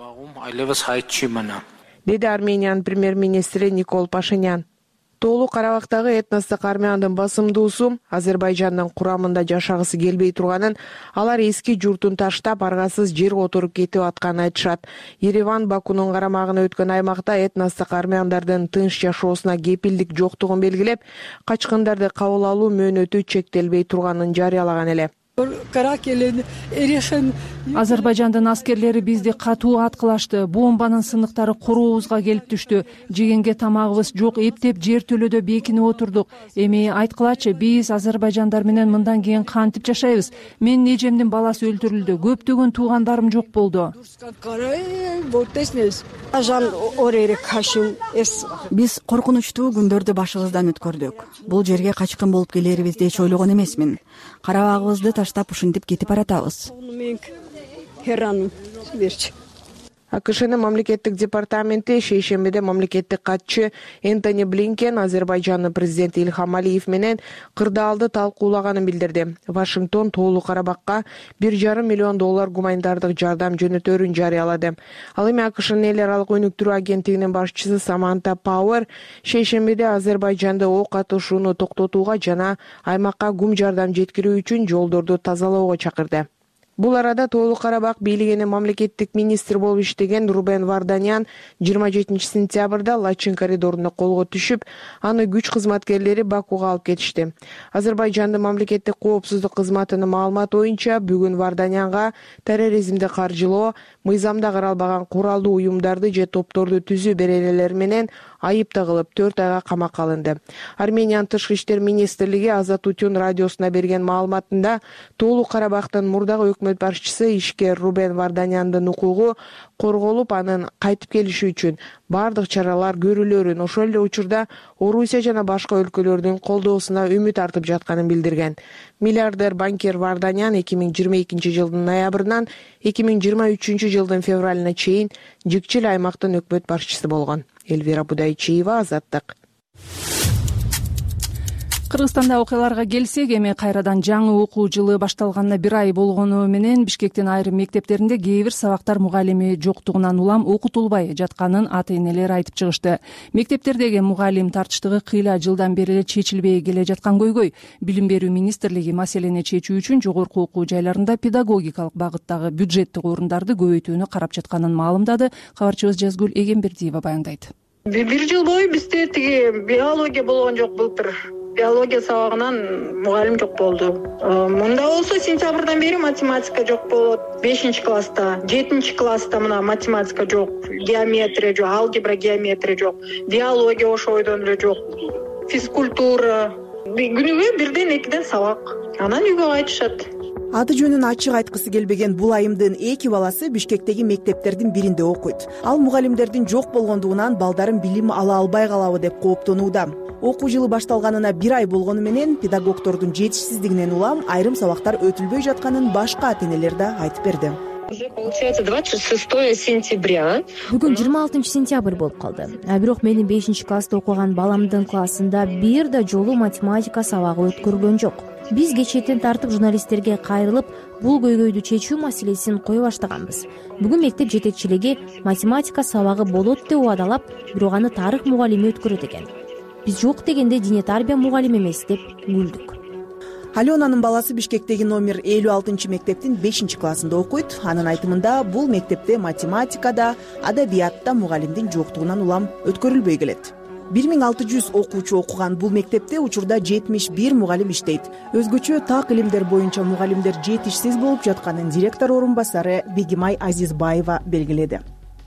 деди Армениянын премьер-министри Никол Пашинян. Тоолуу Карабактагы этностук армяндын басымдуусу Азербайжандын курамында жашагысы келбей турганын, алар эски журтун таштап, аргасыз жер которуп кетип атканын айтышат. Ереван Бакунун карамагына өткөн аймакта этностук армяндардын тынч жашоосуна кепилдик жоктугун белгилеп, качкындарды кабыл алуу мөөнөтү чектелбей турганын жарыялаган эле. Азербайжандын аскерлери бизди катуу аткылашты. Бомбанын сыныктары корообузга келип түштү. Жегенге тамагыбыз жок, эптеп жер төлөдө бекинип отурдук. Эми айткылачы, биз азербайжандар менен мындан кийин кантип жашайбыз? Менин эжемдин баласы өлтүрүлдү. Көптөгөн туугандарым жок болду. Биз коркунучтуу күндөрдү башыбыздан өткөрдүк. Бул жерге качкын болуп келерибизди эч ойлогон эмесмин. Карабагыбызды таштап ушинтип кетип баратабыз. АКШнын мамлекеттик департаменти шейшембиде мамлекеттик катчы Энтони Блинкен Азербайжандын президенти Ильхам Алиев менен кырдаалды талкуулаганын билдирди. Вашингтон Тоолуу Карабакка бир жарым миллион доллар гуманитардык жардам жөнөтөөрүн жарыялады. Ал эми АКШнын эл аралык өнүктүрүү агенттигинин башчысы Саманта Пауэр шейшембиде Азербайжанды ок атышууну токтотууга жана аймакка гум жардам жеткирүү үчүн жолдорду тазалоого чакырды. Бул арада Тоолуу Карабак бийлигинин мамлекеттик министр болуп иштеген Рубен Варданян жыйырма жетинчи сентябрда Лачин коридоруна колго түшүп, аны күч кызматкерлери Бакуга алып кетишти. Азербайжандын мамлекеттик коопсуздук кызматынын маалыматы боюнча, бүгүн Варданянга терроризмди каржылоо, мыйзамда каралбаган куралдуу уюмдарды же топторду түзүү беренелери менен айып тагылып төрт айга камакка алынды. Армениянын тышкы иштер министрлиги Аза Тутюн радиосуна берген маалыматында Тоолуу Карабактын мурдагы өкмөт башчысы ишкер Рубен Варданяндын укугу корголуп, анын кайтып келиши үчүн бардык чаралар көрүлөрүн, ошол эле учурда Орусия жана башка өлкөлөрдүн колдоосуна үмүт артып жатканын билдирген. Миллиардер банкир Варданян эки миң жыйырма экинчи жылдын ноябрынан эки миң жыйырма үчүнчү жылдын февралына чейин жикчил аймактын өкмөт башчысы болгон. Элвира Будайчиева, Азаттык. Кыргызстанда окуяларга келсек, эми кайрадан жаңы окуу жылы башталганына бир ай болгону менен Бишкектин айрым мектептеринде кээ бир сабактар мугалими жоктугунан улам окутулбай жатканын ата-энелер айтып чыгышты. Мектептердеги мугалим тартыштыгы кыйла жылдан бери эле чечилбей келе жаткан көйгөй. Билим берүү министрлиги маселени чечүү үчүн жогорку окуу жайларында педагогикалык багыттагы бюджеттик орундарды көбөйтүүнү карап жатканын маалымдады. Кабарчыбыз Жазгүл Эгембердиева баяндайт. Бир жыл бою бизде тиги биология болгон жок былтыр. Биология сабагынан мугалим жок болду. Мында болсо сентябрдан бери математика жок болот. бешинчи класста, жетинчи класста мына математика жок, геометрия жок, алгебра, геометрия жок, биология ошойдон эле жок, физкультура. Күнүгө бирден экиден сабак. Анан үйгө кайтышат. Аты жөнүн ачык айткысы келбеген бул айымдын эки баласы Бишкектеги мектептердин биринде окуйт. Ал мугалимдердин жок болгондугунан балдарым билим ала албай калабы деп кооптонууда. Окуу жылы башталганына бир ай болгону менен педагогдордун жетишсиздигинен улам айрым сабактар өтүлбөй жатканын башка ата-энелер да айтып берди. Получается двадцать шестое сентября. Бүгүн жыйырма алтынчы сентябрь болуп калды. А бирок менин бешинчи класста окуган баламдын классында бир да жолу математика сабагы өткөрүлгөн жок. Биз кечээттен тартып журналисттерге кайрылып, бул көйгөйдү чечүү маселесин кое баштаганбыз. Бүгүн мектеп жетекчилиги математика сабагы болот деп убадалап, бирок аны тарых мугалими өткөрөт экен. Биз жок дегенде дине тарбия мугалими эмес деп күлдүк. Аленанын баласы Бишкектеги номер элүү алтынчы мектептин бешинчи классында окуйт. Анын айтымында бул мектепте математикада, адабиятта мугалимдин жоктугунан улам өткөрүлбөй келет. бир миң алты жүз окуучу окуган бул мектепте учурда жетимиш бир мугалим иштейт. Өзгөчө так илимдер боюнча мугалимдер жетишсиз болуп жатканын директор орун басары Бегимай Азизбаева белгиледи.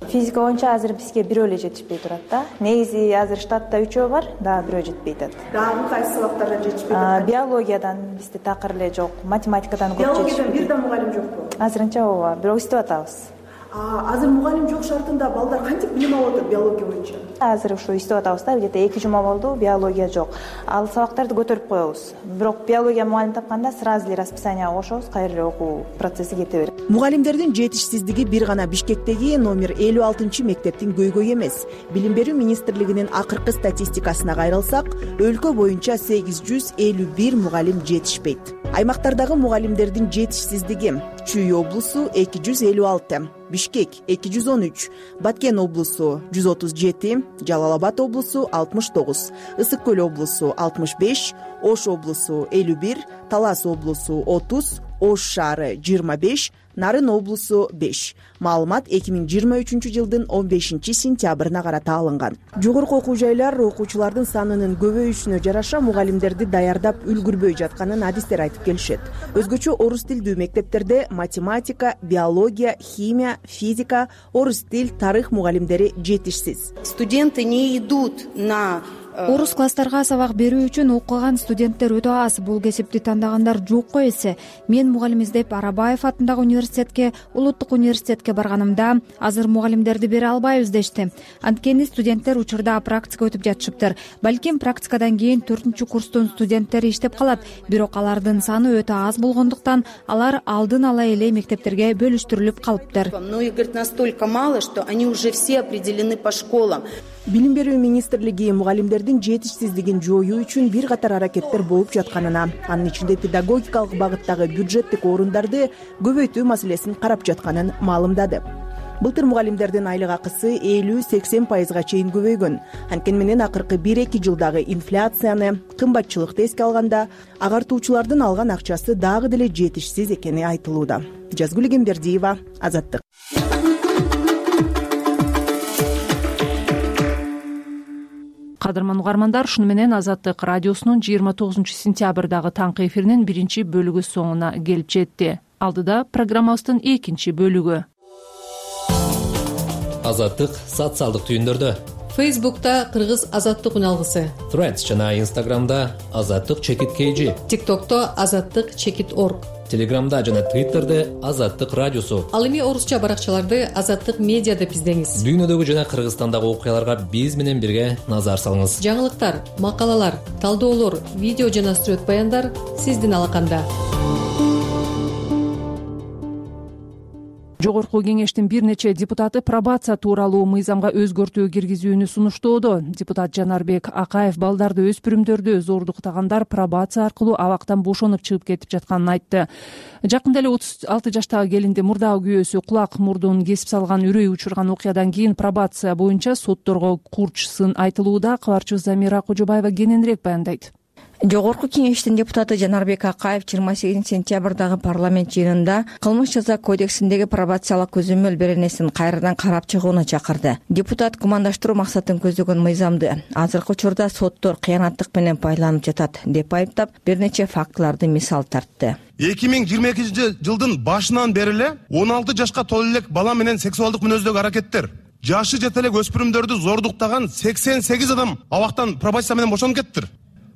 Физика боюнча азыр бизге бирөө эле жетишпей турат да. Негизи азыр штатта үчөө бар, дагы бирөө жетпей атат. Дагы кайсы сабактардан жетишпей атат? Биологиядан бизде такыр эле жок, математикадан көп жетишпейт. Биологиядан бир да мугалим жокпу? Азырынча ооба, бирок иштеп атабыз. Азыр мугалим жок шартында балдар кантип билим алып атат биология боюнча? Азыр ушу иштеп атабыз да, где-то эки жума болду, биология жок. Ал сабактарды көтөрүп коебуз. Бирок биология мугалим тапканда сразу эле расписанияга кошобуз, кайра эле окуу процесси кете берет. Мугалимдердин жетишсиздиги бир гана Бишкектеги номер элүү алтынчы мектептин көйгөйү эмес. Билим берүү министрлигинин акыркы статистикасына кайрылсак, өлкө боюнча сегиз жүз элүү бир мугалим жетишпейт. Аймактардагы мугалимдердин жетишсиздиги: Чүй облусу эки жүз элүү алты, Бишкек эки жүз он үч, Баткен облусу жүз отуз жети, Жалал Абад облусу алтымыш тогуз, Ысык көл облусу алтымыш беш, Ош облусу элүү бир, Талас облусу отуз, Ош шаары жыйырма беш, Нарын облусу беш. Маалымат эки миң жыйырма үчүнчү жылдын он бешинчи сентябрына карата алынган. Жогорку окуу жайлар окуучулардын санынын көбөйүшүнө жараша мугалимдерди даярдап үлгүрбөй жатканын адистер айтып келишет. Өзгөчө орус тилдүү мектептерде математика, биология, химия, физика, орус тил, тарых мугалимдери жетишсиз. Студенты не идут на Орус класстарга сабак берүү үчүн окуган студенттер өтө аз. Бул кесипти тандагандар жокко эсе. Мен мугалим издеп Арабаев атындагы университетке, Улуттук университетке барганымда азыр мугалимдерди бере албайбыз дешти. Анткени студенттер учурда практика өтүп жатышыптыр. Балким практикадан кийин төртүнчү курстун студенттери иштеп калат. Бирок алардын саны өтө аз болгондуктан алар алдын ала эле мектептерге бөлүштүрүлүп калыптыр. Но их, говорит, настолько мало, что они уже все определены по школам. Билим берүү министрлиги мугалимдердин жетишсиздигин жоюу үчүн бир катар аракеттер болуп жатканына, анын ичинде педагогикалык багыттагы бюджеттик орундарды көбөйтүү маселесин карап жатканын маалымдады. Былтыр мугалимдердин айлык акысы элүү сексен пайызга чейин көбөйгөн. Анткени менен акыркы бир эки жылдагы инфляцияны, кымбатчылыкты эске алганда, агартуучулардын алган акчасы дагы деле жетишсиз экени айтылууда. Жазгүл Эгембердиева, Азаттык. Кадырман угармандар, ушуну менен Азаттык радиосунун жыйырма тогузунчу сентябрдагы таңкы эфиринин биринчи бөлүгү соңуна келип жетти. Алдыда программабыздын экинчи бөлүгү. Азаттык социалдык түйүндөрдө Фейсбукта Кыргыз азаттык үн алгысы, Threads жана Инстаграмда азаттык чекит kg, ТикТокто азаттык чекит орг, Телеграмда жана Твиттерде азаттык радиосу. Ал эми орусча баракчаларды азаттык медиа деп издеңиз. Дүйнөдөгү жана Кыргызстандагы окуяларга биз менен бирге назар салыңыз. Жаңылыктар, макалалар, талдоолор, видео жана сүрөт баяндар сиздин алаканда. Жогорку кеңештин бир нече депутаты пробация тууралуу мыйзамга өзгөртүү киргизүүнү сунуштоодо. Депутат Жанарбек Акаев балдарды, өспүрүмдөрдү зордуктагандар пробация аркылуу абактан бошонуп чыгып кетип жатканын айтты. Жакында эле отуз алты жаштагы келинди мурдагы күйөөсү кулак мурдун кесип салган, үрөй учурган окуядан кийин пробация боюнча сотторго курчсын айтылууда. Кабарчыбыз Замира Кожобаева кененирээк баяндайт. Жогорку кеңештин депутаты Жанарбек Акаев жыйырма сегизинчи сентябрдагы парламент жыйынында кылмыш жаза кодексиндеги пробациялык көзөмөл беренесин кайрадан карап чыгууну чакырды. Депутат кумандаштыруу максатын көздөгөн мыйзамды азыркы учурда соттор кыянаттык менен пайдаланып жатат деп айыптап, бир нече фактыларды мисал тартты. эки миң жыйырма экинчи жылдын башынан бери эле он алты жашка толо элек бала менен сексуалдык мүнөздөгү аракеттер, жашы жете элек өспүрүмдөрдү зордуктаган сексен сегиз адам абактан пробация менен бошонуп кеттир.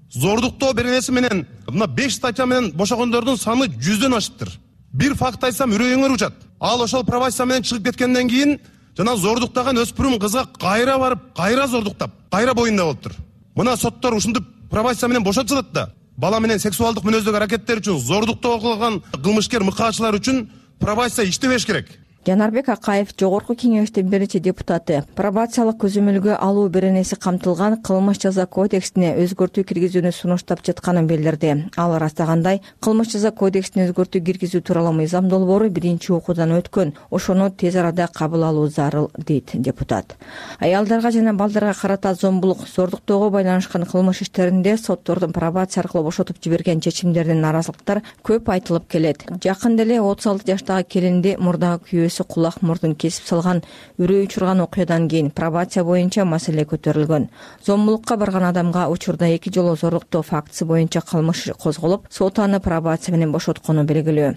Зордуктоо беренеси менен мына беш статья менен бошогондордун саны жүздөн ашыптыр. Бир факт айтсам үрөйүңөр учат. Ал ошол пробация менен чыгып кеткенден кийин жана зордуктаган өспүрүм кызга кайра барып, кайра зордуктап, кайра боюнда болуптур. Мына соттор ушинтип пробация менен бошотуп жатат да. Бала менен сексуалдык мүнөздөгү аракеттер үчүн, зордуктоо кылган кылмышкер мыкаачылар үчүн пробация иштебеш керек. Жанарбек Акаев жогорку кеңештин бир нече депутаты пробациялык көзөмөлгө алуу беренеси камтылган кылмыш жаза кодексине өзгөртүү киргизүүнү сунуштап жатканын билдирди. Ал ырастагандай, кылмыш жаза кодексине өзгөртүү киргизүү тууралуу мыйзам долбоору биринчи окуудан өткөн. Ошону тез арада кабыл алуу зарыл, дейт депутат. Аялдарга жана балдарга карата зомбулук, зордуктоого байланышкан кылмыш иштеринде соттордун пробация аркылуу бошотуп жиберген чечимдеринен наразылыктар көп айтылып келет. Жакында эле отуз алты жаштагы келинди мурдагы күйөөсү кулак мурдун кесип салган, үрөй учурган окуядан кийин пробация боюнча маселе көтөрүлгөн. Зомбулукка барган адамга учурда эки жолу зордуктоо фактысы боюнча кылмыш козголуп, сот аны пробация менен бошоткону белгилүү.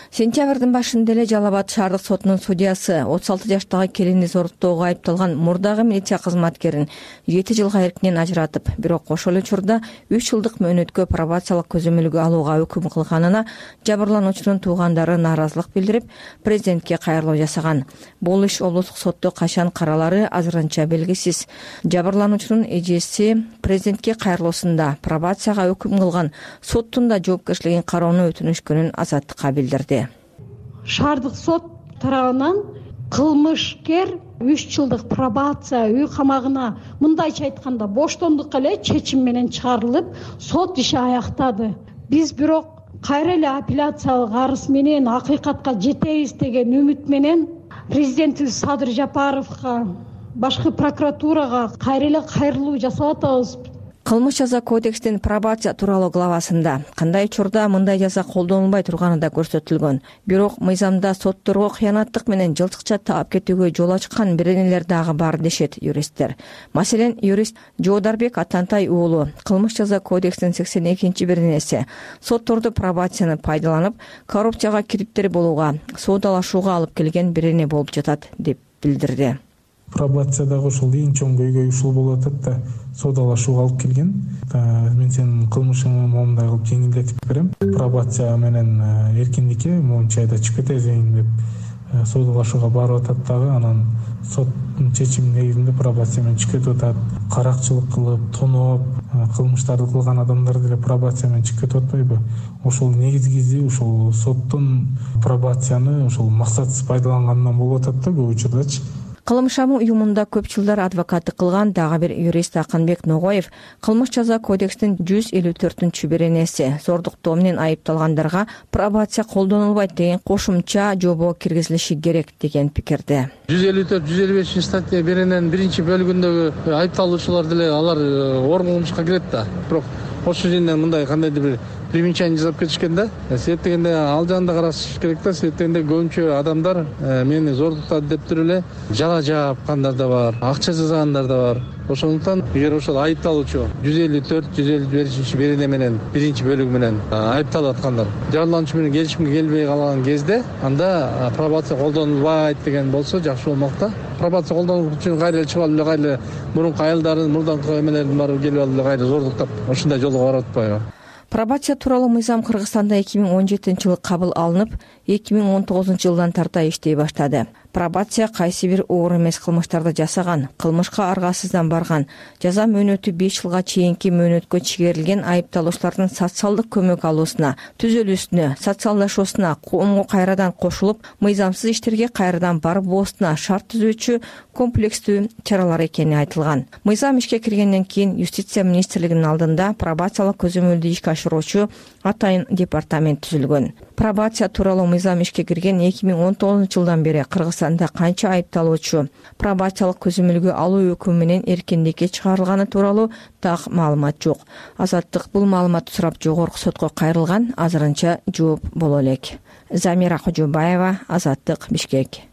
Сентябрдын башында эле Жалал Абад шаардык сотунун судьясы отуз алты жаштагы келинди зордуктоого айыпталган мурдагы милиция кызматкерин жети жылга эркинен ажыратып, бирок ошол учурда үч жылдык мөөнөткө пробациялык көзөмөлгө алууга өкүм кылганына жабырлануучунун туугандары нааразылык билдирип, президентке кайрылуу жасаган. Бул иш облустук сотто качан каралары азырынча белгисиз. Жабырлануучунун эжеси президентке кайрылуусунда пробацияга өкүм кылган соттун да жоопкерчилигин кароону өтүнүшкөнүн Азаттыкка билдирди. Шаардык сот тарабынан кылмышкер үч жылдык пробация үй камагына, мындайча айтканда боштондукка эле чечим менен чыгарылып, сот иши аяктады. Биз бирок кайра эле апелляциялык арыз менен акыйкатка жетебиз деген үмүт менен президентибиз Садыр Жапаровго, башкы прокуратурага кайра эле кайрылуу жасап атабыз. Кылмыш жаза кодекстин пробация тууралуу главасында кандай учурда мындай жаза колдонулбай турганы да көрсөтүлгөн. Бирок мыйзамда сотторго кыянаттык менен жылчыкча таап кетүүгө жол ачкан беренелер дагы бар, дешет юристтер. Маселен, юрист Жоодарбек Атантай уулу кылмыш жаза кодексинин сексен экинчи беренеси сотторду пробацияны пайдаланып, коррупцияга кириптер болууга, соодалашууга алып келген берене болуп жатат деп билдирди. Пробациядагы ушул эң чоң көйгөй ушул болуп атат да, соодалашууга алып келген. Мен сенин кылмышыңды момундай кылып жеңилдетип берем. Пробация менен эркиндикке моунча айда чыгып кетесиң деп соодалашууга барып атат дагы, анан соттун чечими негизинде пробация менен чыгып кетип атат. Каракчылык кылып, тоноп, кылмыштарды кылган адамдар деле пробация менен чыгып кетип атпайбы? Ошол негизгиси ушул соттун пробацияны ушул максатсыз пайдаланганынан болуп атат да көп учурдачы. Кылымшамы уюмунда көп жылдар адвокаттык кылган дагы бир юрист Акынбек Ногоев кылмыш жаза кодекстин жүз элүү төртүнчү беренеси зордуктоо менен айыпталгандарга пробация колдонулбайт деген кошумча жобо киргизилиши керек деген пикирде. жүз элүү төрт жүз элүү бешинчи статья берененин биринчи бөлүгүндөгү айыпталуучулар деле алар орун кылмышка кирет да. Бирок ошол жерден мындай кандайдыр бир примечание жасап кетишкен да. Себеп дегенде ал жагында караш керек да. Себеп дегенде көбүнчө адамдар мени зордуктады деп туруп эле жала жапкандар да бар, акча жасагандар да бар. ошондуктан эгер ошол айыпталуучу жүз элүү төрт жүз элүү бешинчи берене менен биринчи бөлүгү менен айыпталып аткандар жарлануучу менен келишимге келбей калган кезде анда пробация колдонулбайт деген болсо жакшы болмок да. Пробация колдонуу үчүн кайра чыгып алып эле кайра мурунку айылдарын мурдаңкы эмелердин баары келип алып эле кайра зордуктап ушундай жолго барып атпайбы? Пробация тууралуу мыйзам Кыргызстанда эки миң он жетинчи жылы кабыл алынып, эки миң он тогузунчу жылдан тарта иштей баштады. Пробация кайсы бир оор эмес кылмыштарды жасаган, кылмышка аргасыздан барган, жаза мөөнөтү беш жылга чейинки мөөнөткө чегерилген айыпталуучулардын социалдык көмөк алуусуна, түзөлүүсүнө, социалдашуусуна, коомго кайрадан кошулуп, мыйзамсыз иштерге кайрадан барбоосуна шарт түзүүчү комплекстүү чаралар экени айтылган. Мыйзам ишке киргенден кийин Юстиция министрлигинин алдында пробациялык көзөмөлдү ишке ашыруучу атайын департамент түзүлгөн. Пробация тууралуу мыйзам ишке кирген эки миң он тогузунчу жылдан бери Кыргызстанда канча айыпталуучу пробациялык көзөмөлгө алуу өкүмү менен эркиндикке чыгарылганы тууралуу так маалымат жок. Азаттык бул маалыматты сурап жогорку сотко кайрылган, азырынча жооп боло элек. Замира Кожобаева, Азаттык, Бишкек.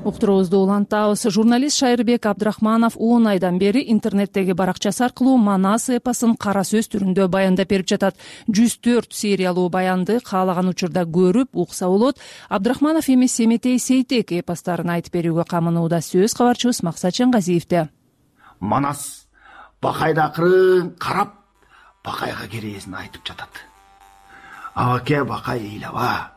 Уктуруубузду улантабыз. Журналист Шайырбек Абдрахманов он айдан бери интернеттеги баракчасы аркылуу Манас эпосун кара сөз түрүндө баяндап берип жатат. жүз төрт сериялуу баянды каалаган учурда көрүп, укса болот. Абдрахманов эми Семетей Сейтек эпостарын айтып берүүгө камынууда. Сөз кабарчыбыз Максат Чангазиевде. Манас бакайды акырын карап, бакайга керээсин айтып жатат. Абаке, бакай ыйлаба.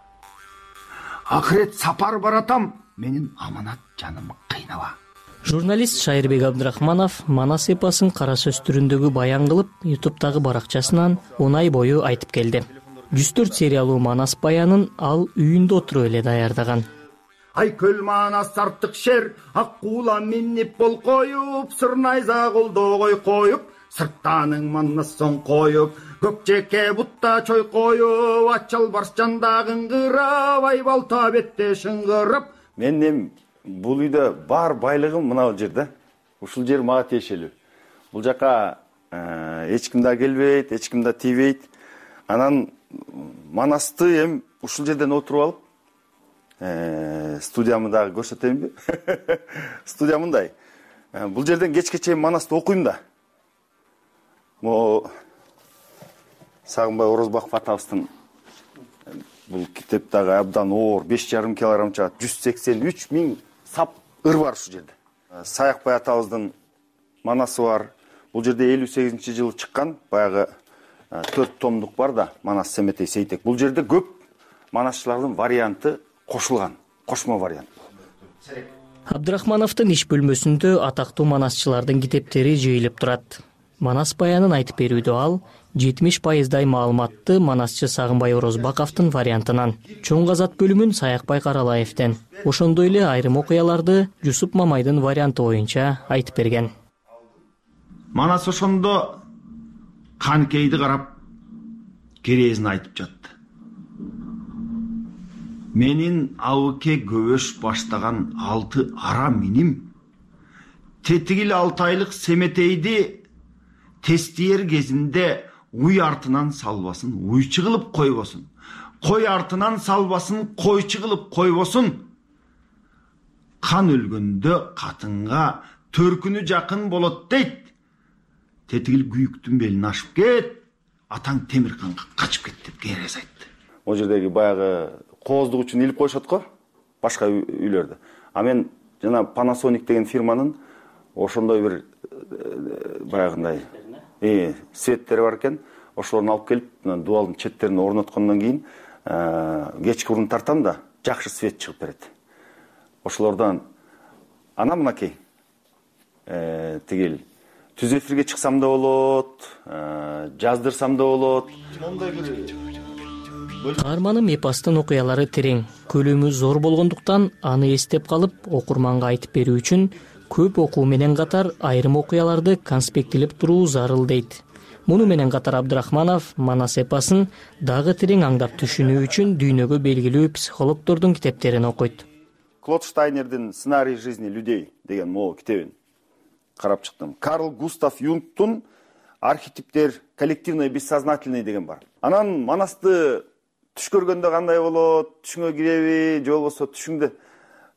Акырет сапар баратам. Менин аманат жаным кыйнаба. Журналист Шайырбек Абдрахманов Манас эпосун кара сөз түрүндөгү баян кылып, ютубтагы баракчасынан он ай бою айтып келди. жүз төрт сериялуу Манас баянын ал үйүндө отуруп эле даярдаган. Ай көл Манас артык шер, ак куула минип бол коюп, сырнайза колдогой коюп, сырттаның Манас соң коюп, көкчекке бутта чой коюп, ачал барс жандагын кырап, ай балта бетте шыңгырып. Мен бул үйдө бар байлыгым мына жерде. Ушул жер мага тиешелүү. Бул жака эч ким да келбейт, эч ким да тийбейт. Анан Манасты эми ушул жерден отуруп алып, студиямды дагы көрсөтөйүнбү? Студия мындай. Бул жерден кечке чейин Манасты окуйм да. Могу Сагынбай Орозбаков атабыздын бул китептагы абдан оор беш жарым килограмм чыгат, жүз сексен үч миң сап ыр бар ушул жерде. Саякбай атабыздын Манасы бар. Бул жерде элүү сегизинчи жылы чыккан, баягы төрт томдук бар да, Манас Семетей Сейтек. Бул жерде көп манасчылардын варианты кошулган, кошмо вариант. Абдрахмановдун иш бөлмөсүндө атактуу манасчылардын китептери жыйылып турат. Манас баянын айтып берүүдө ал жетимиш пайыздай маалыматты манасчы Сагынбай Орозбаковдун вариантынан, чоң казат бөлүмүн Саякбай Каралаевден, ошондой эле айрым окуяларды Жусуп Мамайдын варианты боюнча айтып берген. Манас ошондо канкейди карап, керээсин айтып жатты. Менин абыке көбөш баштаган алты ара миним тетигил алты айлык Семетейди тестиер кезинде уй артынан салбасын, уйчу кылып койбосун. Кой артынан салбасын, койчу кылып койбосун. Кан өлгөндө катынга төркүнү жакын болот дейт. Тетигил күйүктүн белин ашып кет, атаң Темирканга качып кет деп керес айтты. Ол жердеги баягы кооздук үчүн илип коюшат го, башка үйлөрдө. А мен жана Panasonic деген фирманын ошондой бир баягындай Э, светтери бар экен. Ошолорду алып келип, дубалдын четтерине орноткондон кийин, кечки урун тартам да, жакшы свет чыгып берет. Ошолордон ана мынакей, э, тигил түз эфирге чыксам да болот, жаздырсам да болот. Каарманым эпостун окуялары терең, көлөмү зор болгондуктан аны эстеп калып, окурманга айтып берүү үчүн көп окуу менен катар айрым окуяларды конспектилеп туруу зарыл дейт. Муну менен катар Абдрахманов Манас эпосын дагы терең аңдап түшүнүү үчүн дүйнөгө белгилүү психологдордун китептерин окуйт. Клод Штайнердин «Сценарий жизни людей» деген могу китебин карап чыктым. Карл Густав Юнгтун «Архетиптер коллективный бессознательный» деген бар. Анан Манасты түш көргөндө кандай болот, түшүңө киреби, же болбосо түшүңдө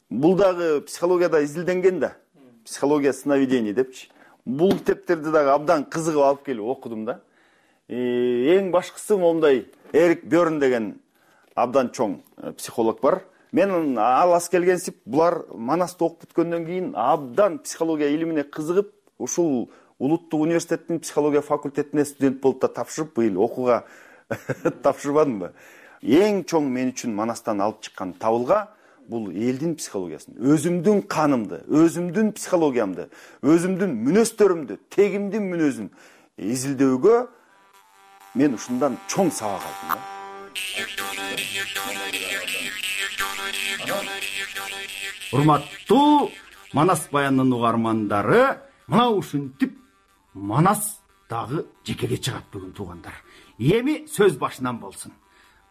бул дагы психологияда изилденген да, психология сновидений депчи. Бул китептерди дагы абдан кызыгып алып келип окудум да. Эң башкысы момундай Эрик Бёрн деген абдан чоң психолог бар. Мен алас келгенсип булар Манасты окуп бүткөндөн кийин абдан психология илимине кызыгып, ушул улуттук университеттин психология факультетине студент болуп да тапшырып, быйыл окууга тапшырбадымбы. Эң чоң мен үчүн Манастан алып чыккан табылга бул элдин психологиясын, өзүмдүн канымды, өзүмдүн психологиямды, өзүмдүн мүнөздөрүмдү, тегимдин мүнөзүн изилдөөгө мен ушундан чоң сабак алдым да. Урматтуу Манас баянынын угармандары, мына ушинтип Манас дагы жекеге чыгат бүгүн туугандар. Эми сөз башынан болсун.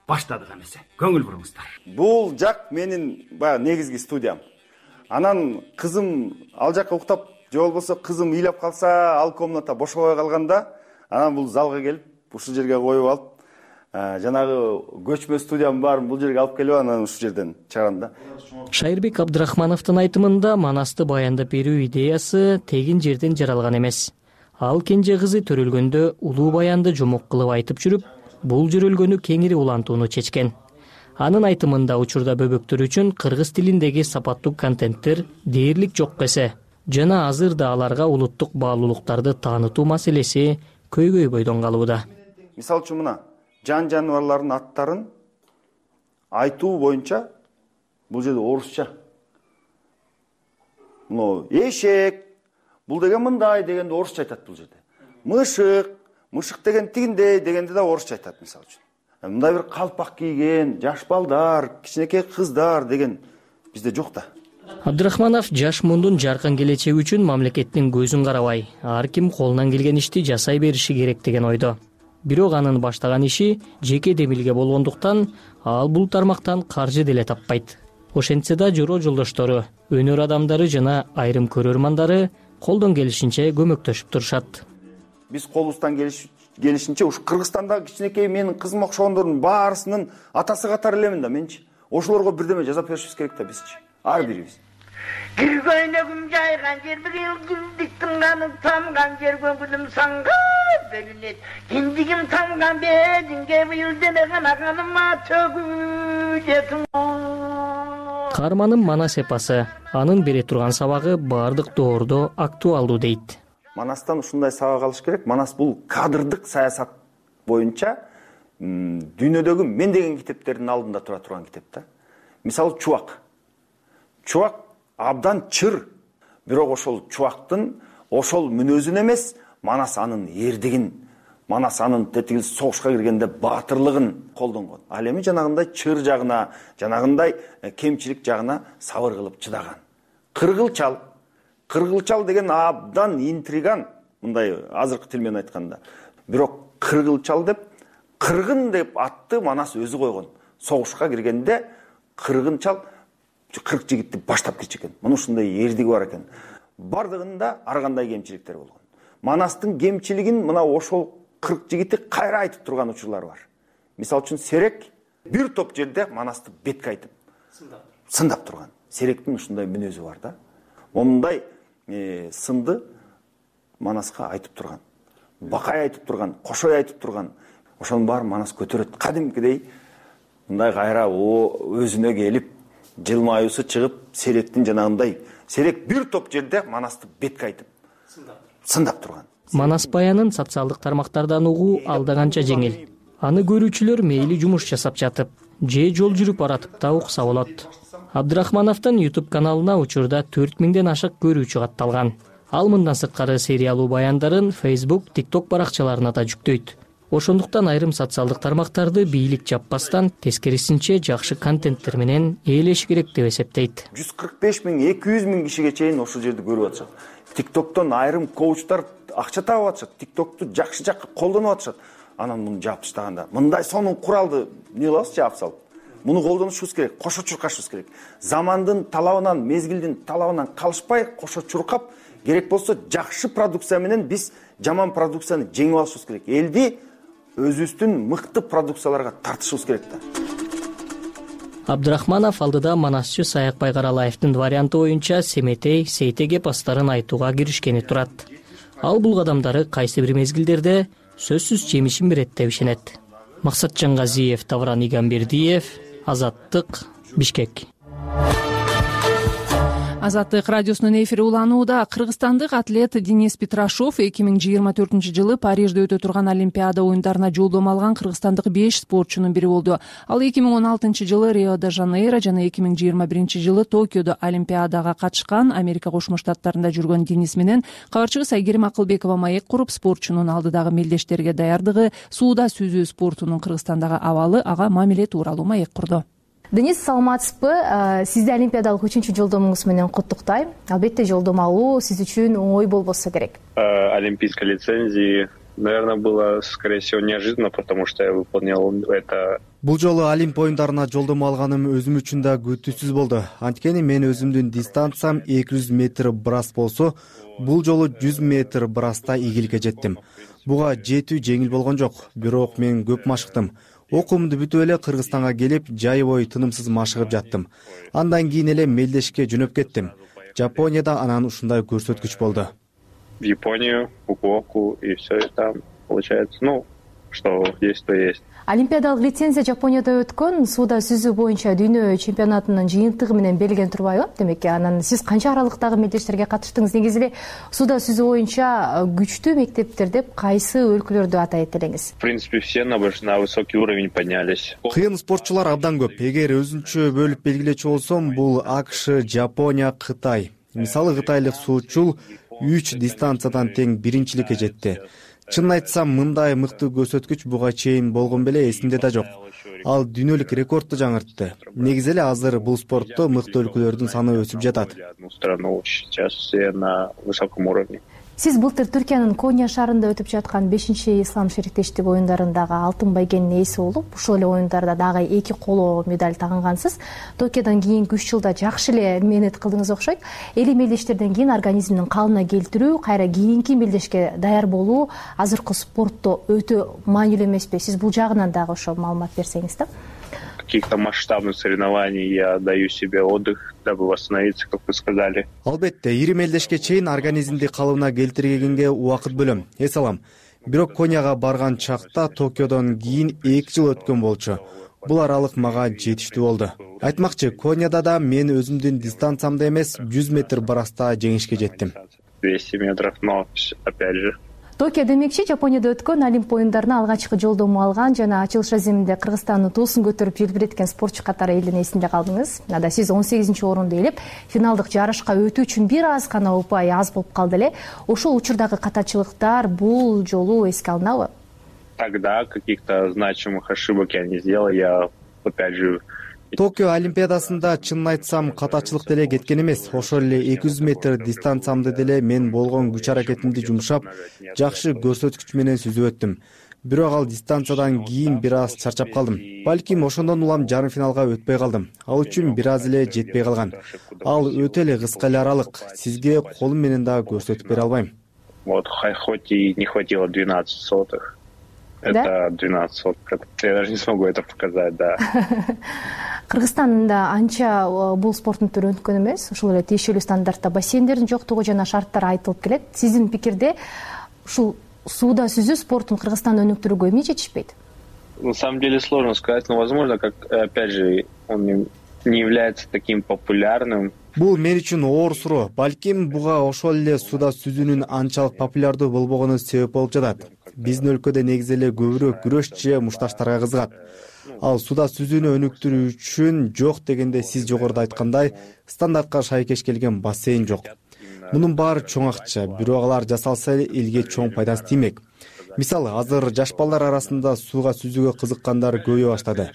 Баштадык эмесе. Көңүл буруңуздар. Бул жак менин баягы негизги студиям. Анан кызым ал жакка уктап, же болбосо кызым ыйлап калса, ал комната бошобой калганда, анан бул залга келип, ушул жерге коюп алып, жанагы көчмө студиям бар, бул жерге алып келип, анан ушул жерден чыгарам да. Шайырбек Абдрахмановдун айтымында Манасты баяндап берүү идеясы тегин жерден жаралган эмес. Ал кенже кызы төрөлгөндө улуу баянды жомок кылып айтып жүрүп, бул жүрөлгөнү кеңири улантууну чечкен. Анын айтымында учурда бөбөктөр үчүн кыргыз тилиндеги сапаттуу контенттер дээрлик жок эсе, жана азырда аларга улуттук баалуулуктарды таанытуу маселеси көйгөй бойдон калууда. Мисалы үчүн мына жан жаныбарлардын аттарын айтуу боюнча бул жерде орусча. Мына эшек, бул деген мындай дегенде орусча айтат бул жерде. Мышык, мышык деген тигиндей дегенде да орусча айтат мисалы үчүн. Мындай бир калпак кийген жаш балдар, кичинекей кыздар деген бизде жок да. Абдрахманов жаш мундун жаркын келечеги үчүн мамлекеттин көзүн карабай, ар ким колунан келген ишти жасай бериши керек деген ойдо. Бирок анын баштаган иши жеке демилге болгондуктан ал бул тармактан каржы деле таппайт. Ошентсе да журоо жолдоштору, өнөр адамдары жана айрым көрөрмандары колдон келишинче көмөктөшүп турушат. Биз колубуздан келишинче ушу Кыргызстандагы кичинекей менин кызым окшогондордун баарысынын атасы катары элемин да менчи. Ошолорго бирдеме жазап беришибиз керек да бизчи. Ар бирибиз. Киргөйнөгүм жайган жер бир эл гүлдүктүн каны тамган жер көңүлүм санга бөлүнөт. Киндигим тамган бединге быйыл демеген аганыма төгүлөтүм. Каарманым Манас эпосы. Анын бере турган сабагы баардык доордо актуалдуу дейт. Манастан ушундай сабак алыш керек. Манас бул кадрдык саясат боюнча дүйнөдөгү мен деген китептердин алдында тура турган китеп да. Мисалы Чубак. Чубак абдан чыр, бирок ошол Чубактын ошол мүнөзүн эмес, Манас анын эрдигин, Манас анын тетиги согушка киргенде баатырлыгын колдонгон. Ал эми жанагындай чыр жагына, жанагындай кемчилик жагына сабыр кылып чыдаган. Кыргылчал, кыргылчал деген абдан интриган, мындай азыркы тил менен айтканда. Бирок кыргылчал деп, кыргын деп атты Манас өзү койгон. Согушка киргенде кыргынчал кырк жигитти баштап кетчү экен. Муну ушундай эрдиги бар экен. Бардыгында ар кандай кемчиликтер болгон. Манастын кемчилигин мына ошол кырк жигити кайра айтып турган учурлары бар. Мисалы үчүн Серек бир топ жерде Манасты бетке айтып сындап турган. Серектин ушундай мүнөзү бар да. Момундай сынды Манаска айтып турган. Бакай айтып турган, Кошой айтып турган. Ошонун баарын Манас көтөрөт. Кадимкидей мындай кайра өзүнө келип, жылмаюусу чыгып, Серектин жанагындай Серек бир топ жерде Манасты бетке айтып сындап турган. Манас баянын социалдык тармактардан угуу алда канча жеңил. Аны көрүүчүлөр мейли жумуш жасап жатып, же жол жүрүп баратып да укса болот. Абдрахмановдун YouTube каналына учурда төрт миңден ашык көрүүчү катталган. Ал мындан сырткары сериялуу баяндарын Facebook, TikTok баракчаларына да жүктөйт. Ошондуктан айрым социалдык тармактарды бийлик жаппастан, тескерисинче жакшы контенттер менен ээлеш керек деп эсептейт. жүз кырк беш миң, эки жүз миң кишиге чейин ошол жерди көрүп атышат. TikToктон айрым коучтар акча табып атышат. TikToкту жакшы жакка колдонуп атышат. Анан муну жаап таштаганда мындай сонун куралды эмне кылабыз, жаап салып. Муну колдонушубуз керек, кошо чуркашыбыз керек. Замандын талабынан, мезгилдин талабынан калышпай, кошо чуркап, керек болсо жакшы продукция менен биз жаман продукцияны жеңип алышыбыз керек. Элди өзүбүздүн мыкты продукцияларга тартышыбыз керек да. Абдрахманов алдыда манасчы Саякбай Байгаралаевдин варианты боюнча Семетей, Сейтеге пастарын айтууга киришкени турат. Ал бул кадамдары кайсы бир мезгилдерде сөзсүз жемишин берет деп ишенет. Максатжан Газиев, Тавран Игамбердиев, Азаттык, Бишкек. Азаттык радиосунун эфири уланууда. Кыргызстандык атлет Денис Петрашов эки миң жыйырма төртүнчү жылы Парижде өтө турган Олимпиада оюндарына жолдомо алган кыргызстандык беш спортчунун бири болду. Ал эки миң он алтынчы жылы Рио-де-Жанейро жана эки миң жыйырма биринчи жылы Токиодо Олимпиадага катышкан. Америка Кошмо Штаттарында жүргөн Денис менен кабарчыбыз Айгерим Акылбекова маек куруп, спортчунун алдыдагы мелдештерге даярдыгы, сууда сүзүү спортунун Кыргызстандагы абалы, ага мамиле тууралуу маек курду. Денис, саламатсызбы? Сизди олимпиадалык үчүнчү жолдомуңуз менен куттуктайм. Албетте жолдомо алуу сиз үчүн оңой болбосо керек. Олимпийской лицензии, наверное, было, скорее всего, неожиданно, потому что я выполнял это. Бул жолу Олимп оюндарына жолдомо алганым өзүм үчүн да күтүүсүз болду. Анткени мен өзүмдүн дистанциям эки жүз метр брас болсо, бул жолу жүз метр браста ийгиликке жеттим. Буга жетүү жеңил болгон жок, бирок мен көп машыктым. Окуумду бүтүп эле Кыргызстанга келип, жай бою тынымсыз машыгып жаттым. Андан кийин эле мелдешке жөнөп кеттим. Жапонияда анан ушундай көрсөткүч болду. В Японию, Фукуоку, и все там получается, ну, что есть, то есть. Олимпиадалык лицензия Жапонияда өткөн сууда сүзүү боюнча дүйнө чемпионатынын жыйынтыгы менен берилген турбайбы? Демек, анан сиз канча аралыктагы мелдештерге катыштыңыз? Негизи эле сууда сүзүү боюнча күчтүү мектептер деп кайсы өлкөлөрдү атайт элеңиз? В принципе, все на высокий уровень поднялись. Кыйын спортчулар абдан көп. Эгер өзүнчө бөлүп белгилечү болсом, бул АКШ, Жапония, Кытай. Мисалы, кытайлык суучул үч дистанциядан тең биринчиликке жетти. Чынын айтсам, мындай мыкты көрсөткүч буга чейин болгон беле эсимде да жок. Ал дүйнөлүк рекордду жаңыртты. Негизи эле азыр бул спортто мыкты өлкөлөрдүн саны өсүп жатат. Сейчас все на высоком уровне. Сиз былтыр Түркиянын Коня шаарында өтүп жаткан бешинчи ислам шериктештик оюндарындагы алтын байгенин ээси болуп, ушул эле оюндарда дагы эки коло медаль тагынгансыз. Токиодон кийинки үч жылда жакшы эле мээнет кылдыңыз окшойт. Эли мелдештерден кийин организмдин калыбына келтирүү, кайра кийинки мелдешке даяр болуу азыркы спортто өтө маанилүү эмеспи? Сиз бул жагынан дагы ошо маалымат берсеңиз да. Каких-то масштабных соревнований я даю себе отдых, дабы восстановиться, как вы сказали. Албетте, ири мелдешке чейин организмди калыбына келтиргенге убакыт бөлөм. Эс алам. Бирок Коняга барган чакта Токиодон кийин эки жыл өткөн болчу. Бул аралык мага жетиштүү болду. Айтмакчы, Коняда да мен өзүмдүн дистанциямда эмес, жүз метр браста жеңишке жеттим. двести метров, но опять же. Токио демекчи, Жапонияда өткөн Олимп оюндарына алгачкы жолдомо алган жана ачылыш аземинде Кыргызстандын туусун көтөрүп желбиреткен спортчу катары элдин эсинде калдыңыз. Ада сиз он сегизинчи орунду ээлеп, финалдык жарышка өтүү үчүн бир аз гана упай аз болуп калды эле. Ошол учурдагы катачылыктар бул жолу эске алынабы? Тогда каких-то значимых ошибок я не сделал, я опять же. Токио Олимпиадасында чынын айтсам катачылык деле кеткен эмес. Ошол эле эки жүз метр дистанциямды деле мен болгон күч аракетимди жумшап, жакшы көрсөткүч менен сүзүп өттүм. Бирок ал дистанциядан кийин бир аз чарчап калдым. Балким ошондон улам жарым финалга өтпөй калдым. Ал үчүн бир аз эле жетпей калган. Ал өтө эле кыска эле аралык. Сизге колум менен да көрсөтүп бере албайм. Вот хоть и не хватило двенадцать сотых. Это двенадцать сотых. Я даже не смогу это показать, да. Кыргызстанда анча бул спорттун түрү өнүккөн эмес. Ушул эле тиешелүү стандартта бассейндердин жоктугу жана шарттар айтылып келет. Сиздин пикирде ушул сууда сүзүү спортун Кыргызстанда өнүктүрүүгө эмне жетишпейт? На самом деле сложно сказать, но возможно, как опять же он не является таким популярным. Бул мен үчүн оор суроо. Балким буга ошол эле сууда сүзүүнүн анчалык популярдуу болбогону себеп болуп жатат. Биздин өлкөдө негизи эле көбүрөөк күрөш же мушташтарга кызыгат. Ал сууда сүзүүнү өнүктүрүү үчүн жок дегенде сиз жогоруда айткандай стандартка шайкеш келген бассейн жок. Мунун баары чоң акча, бирок алар жасалса элге чоң пайдасы тиймек. Мисалы, азыр жаш балдар арасында сууга сүзүүгө кызыккандар көбөйө баштады.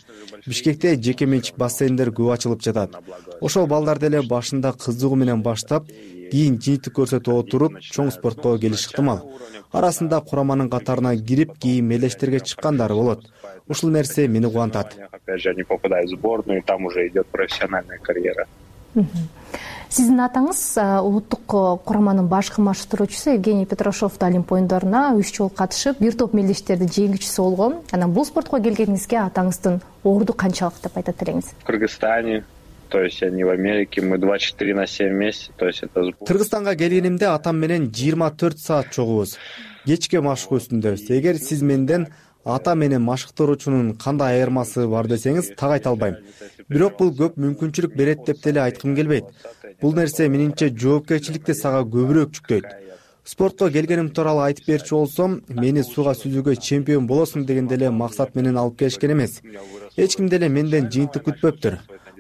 Бишкекте жеке менчик бассейндер көп ачылып жатат. Ошол балдар деле башында кызыгуу менен баштап, кийин жыйынтык көрсөтүп отуруп, чоң спортко келиш ыктымал. Арасында кураманын катарына кирип, кийин мелдештерге чыккандар болот. Ушул нерсе мени кубантат. Опять же, они попадают в сборную, и там уже идет профессиональная карьера. Сиздин атаңыз улуттук кураманын башкы маштыруучусу Евгений Петрашов да Олимп оюндарына үч жолу катышып, бир топ мелдештерди жеңүүчүсү болгон. Анан бул спортко келгениңизге атаңыздын орду канчалык деп айтат элеңиз? В Кыргызстане, то есть они в Америке, мы двадцать четыре на семь вместе, то есть это... Кыргызстанга келгенимде атам менен жыйырма төрт саат чогубуз. Кечке машык үстүндөбүз. Эгер сиз менден ата менен машыктыруучунун кандай айырмасы бар десеңиз, так айта албайм. Бирок бул көп мүмкүнчүлүк берет деп деле айткым келбейт. Бул нерсе менимче жоопкерчиликти сага көбүрөөк жүктөйт. Спортко келгеним тууралуу айтып берчү болсом, мени сууга сүзүүгө чемпион болосуң деген деле максат менен алып келишкен эмес. Эч ким деле менден жыйынтык күтпөптүр.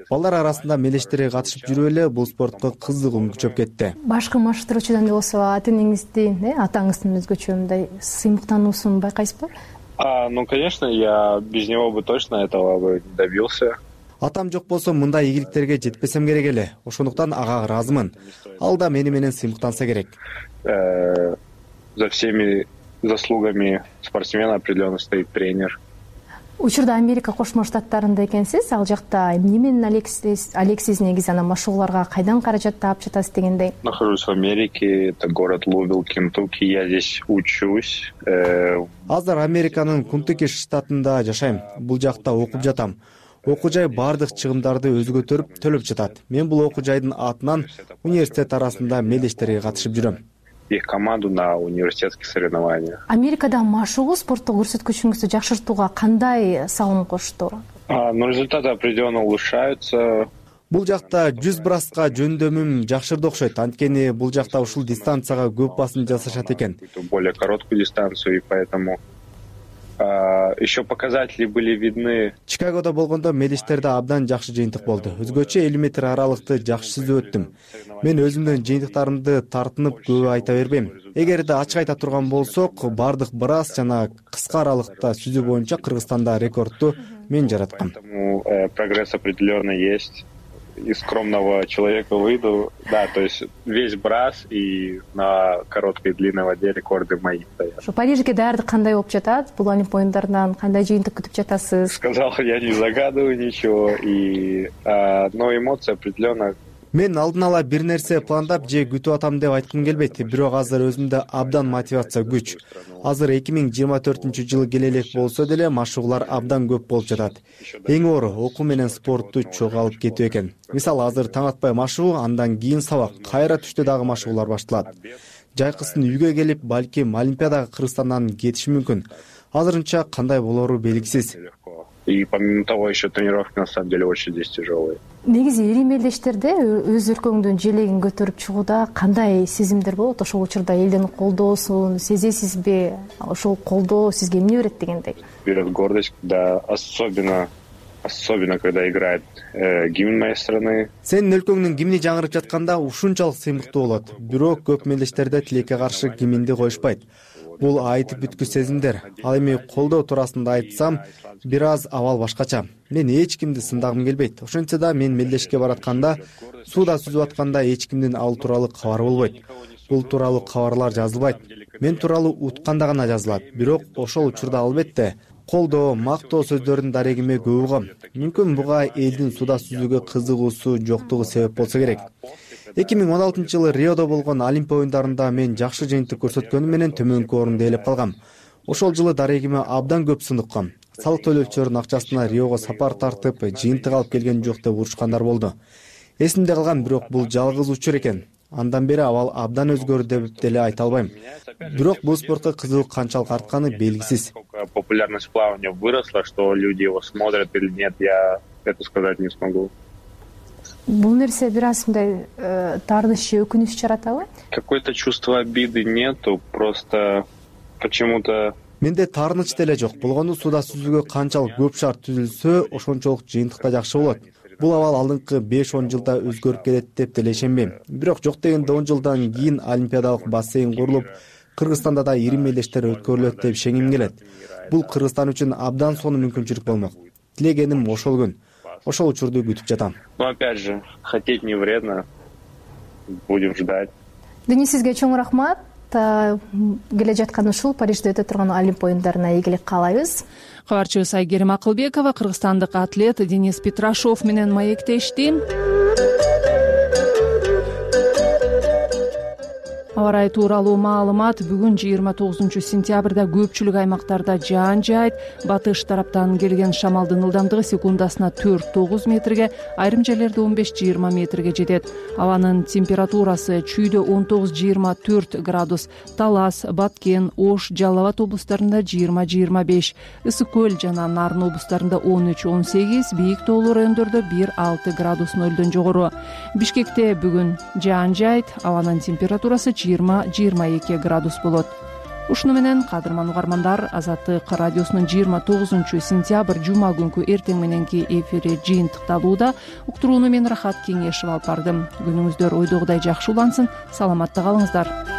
Балдар арасында мелештери катышып жүрүп эле бул спортко кызыгуум күчөп кетти. Башкы маштыруучудан болсо ата-энеңиздин, атаңыздын өзгөчө мындай сыймыктануусун байкайсызбы? А, ну, конечно, я без него бы точно этого бы не добился. Атам жок болсо мындай ийгиликтерге жетпесем керек эле. Ошондуктан ага ыраазымын. Ал да мени менен сыймыктанса керек. За всеми заслугами спортсмена определенно стоит тренер. Учурда Америка Кошмо Штаттарында экенсиз, ал жакта эмне менен алексиз негизи анан машыгууларга кайдан каражат таап жатасыз дегендей? Нахожусь в Америке, это город Луивилл, Кентукки, я здесь учусь. Азыр Американын Кентукки штатында жашайм. Бул жакта окуп жатам. Окуу жай бардык чыгымдарды өзү көтөрүп төлөп жатат. Мен бул окуу жайдын атынан университет арасында мелдештерге катышып жүрөм. Их команду на университетские соревнования. Америкада машыгуу спорттук көрсөткүчүңүздү жакшыртууга кандай салым кошту? Ну, результаты определенно улучшаются. Бул жакта жүз браска жөндөмүм жакшырды окшойт. Анткени бул жакта ушул дистанцияга көп басым жасашат экен. Более короткую дистанцию, и поэтому еще показатели были видны. Чикагодо болгондо мелдештерде абдан жакшы жыйынтык болду. Өзгөчө элүү метр аралыкты жакшы сүзүп өттүм. Мен өзүмдүн жыйынтыктарымды тартынып көп айта бербейм. Эгерде ачык айта турган болсок, бардык брас жана кыска аралыкта сүзүү боюнча Кыргызстанда рекордту мен жараткам. Прогресс определенно есть. Из скромного человека выйду. Да, то есть весь брас и на короткой и длинной воде рекорды мои стоят. Парижге даярдык кандай болуп жатат? Бул Олимп оюндарынан кандай жыйынтык күтүп жатасыз? Сказал, я не загадываю ничего, и но эмоции определенно. Мен алдын ала бир нерсе пландап же күтүп атам деп айткым келбейт, бирок азыр өзүмдө абдан мотивация күч. Азыр эки миң жыйырма төртүнчү жылы келе элек болсо деле машыгуулар абдан көп болуп жатат. Эң оору окуу менен спортту чогуу алып кетүү экен. Мисалы азыр таң атпай машыгуу, андан кийин сабак, кайра түштө дагы машыгуулар башталат. Жайкысын үйгө келип, балким Олимпиадага Кыргызстандан кетиши мүмкүн. Азырынча кандай болору белгисиз. И помимо того, еще тренировки на самом деле очень здесь тяжелые. Негизи ири мелдештерде өз өлкөңдүн желегин көтөрүп чыгууда кандай сезимдер болот? Ошол учурда элдин колдоосун сезесизби? Ошол колдоо сизге эмне берет дегендей? Берет гордость, когда особенно особенно когда играет э, гимн моей страны. Сенин өлкөңдүн гимни жаңырып жатканда ушунчалык сыймыктуу болот. Бирок көп мелдештерде тилекке каршы гимнди коюшпайт. Бул айтып бүткүч сезимдер. Ал эми колдоо туурасында айтсам, бир аз абал башкача. Мен эч кимди сындагым келбейт. Ошентсе да мен мелдешке баратканда, сууда сүзүп атканда эч кимдин ал тууралуу кабар болбойт. Бул тууралуу кабарлар жазылбайт. Мен тууралуу утканда гана жазылат. Бирок ошол учурда албетте колдоо, мактоо сөздөрүн дарегиме көп угам. Мүмкүн буга элдин сууда сүзүүгө кызыгуусу жоктугу себеп болсо керек. эки миң он алтынчы жылы Риодо болгон Олимп оюндарында мен жакшы жыйынтык көрсөткөнүм менен төмөнкү орунду ээлеп калгам. Ошол жылы дарегиме абдан көп сын уккам. Салык төлөөчүлөрдүн акчасына Риого сапар тартып, жыйынтык алып келген жок деп урушкандар болду. Эсимде калган, бирок бул жалгыз учур экен. Андан бери абал абдан өзгөрдү деп деле айта албайм. Бирок бул спортко кызыгуу канчалык артканы белгисиз. Популярность плавания выросла, что люди его смотрят или нет, я это сказать не смогу. Бул нерсе бир аз мындай таарыныч же өкүнүч жаратабы? Какое-то чувство обиды нету, просто почему-то. Менде таарыныч деле жок. Болгону сууда сүзүүгө канчалык көп шарт түзүлсө, ошончолук жыйынтыкта жакшы болот. Бул абал алдыңкы беш он жылда өзгөрүп келет деп деле ишенбейм. Бирок жок дегенде он жылдан кийин олимпиадалык бассейн курулуп, Кыргызстанда да ири мелдештер өткөрүлөт деп ишенгим келет. Бул Кыргызстан үчүн абдан сонун мүмкүнчүлүк болмок. Тилегеним ошол күн. Ошол учурду күтүп жатам. Но опять же, хотеть не вредно. Будем ждать. Денис, сизге чоң рахмат. Келе жаткан ушул Парижде өтө турган Олимп оюндарына ийгилик каалайбыз. Кабарчыбыз Айгерим Акылбекова кыргызстандык атлет Денис Петрашов менен маектешти. Аба ырайы тууралуу маалымат. Бүгүн жыйырма тогузунчу сентябрда көпчүлүк аймактарда жаан жаайт. Батыш тараптан келген шамалдын ылдамдыгы секундасына төрт тогуз метрге, айрым жерлерде он беш жыйырма метрге жетет. Абанын температурасы чүйдө он тогуз жыйырма төрт градус, Талас, Баткен, Ош, Жалал Абад облустарында жыйырма жыйырма беш, Ысык көл жана Нарын облустарында он үч он сегиз, бийик тоолуу райондордо бир алты градус нөлдөн жогору. Бишкекте бүгүн жаан жаайт. Абанын температурасы жыйырма жыйырма эки градус болот. Ушуну менен кадырман угармандар, Азаттык радиосунун жыйырма тогузунчу сентябрь жума күнкү эртең мененки эфири жыйынтыкталууда. Уктурууну мен Рахат Кеңешева алып бардым. Күнүңүздөр ойдогудай жакшы улансын. Саламатта калыңыздар.